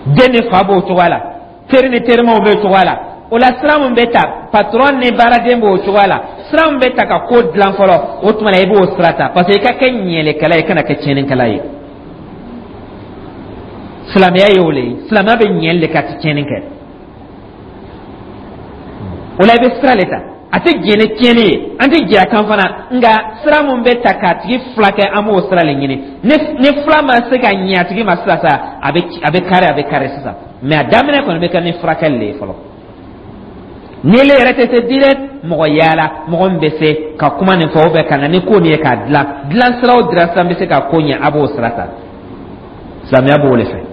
Den ni fa b'o cogoya la, teri ni terimaw b'o cogoya la. O la, sira min bɛ ta, patɔrɔn ni baaraden b'o cogoya la, sira min bɛ ta ka ko dilan fɔlɔ, o tuma na i b'o sira ta, parce que i ka kɛ ɲɛlikɛla ye, i kana kɛ tiɲɛnikɛla ye. Silamɛya ye o le ye. Silamɛya bɛ ɲɛli de kɛ, a tɛ tiɲɛni kɛ. O la, i bɛ sira le ta. A tɛ jɛn ni tiɲɛni ye, an tɛ jɛ a kan fana. Nka sira min bɛ ta k'a tigi furakɛ, an b'o sira le ɲini. Ni fura ma se ka ɲɛ a tigi ma sisan sa, a bɛ kari, a bɛ kari sisan. Mɛ a daminɛ kɔni bɛ kɛ ni furakɛli le ye fɔlɔ. Ni ele yɛrɛ tɛ se direct, mɔgɔ yaala, mɔgɔ min bɛ se ka kuma nin fɔ, ou ka na ni ko nin ye k'a dilan. Dilan sira o dilan sira bɛ se ka ko ɲɛ, a b'o sira ta. Silamɛya b'o de fɛ.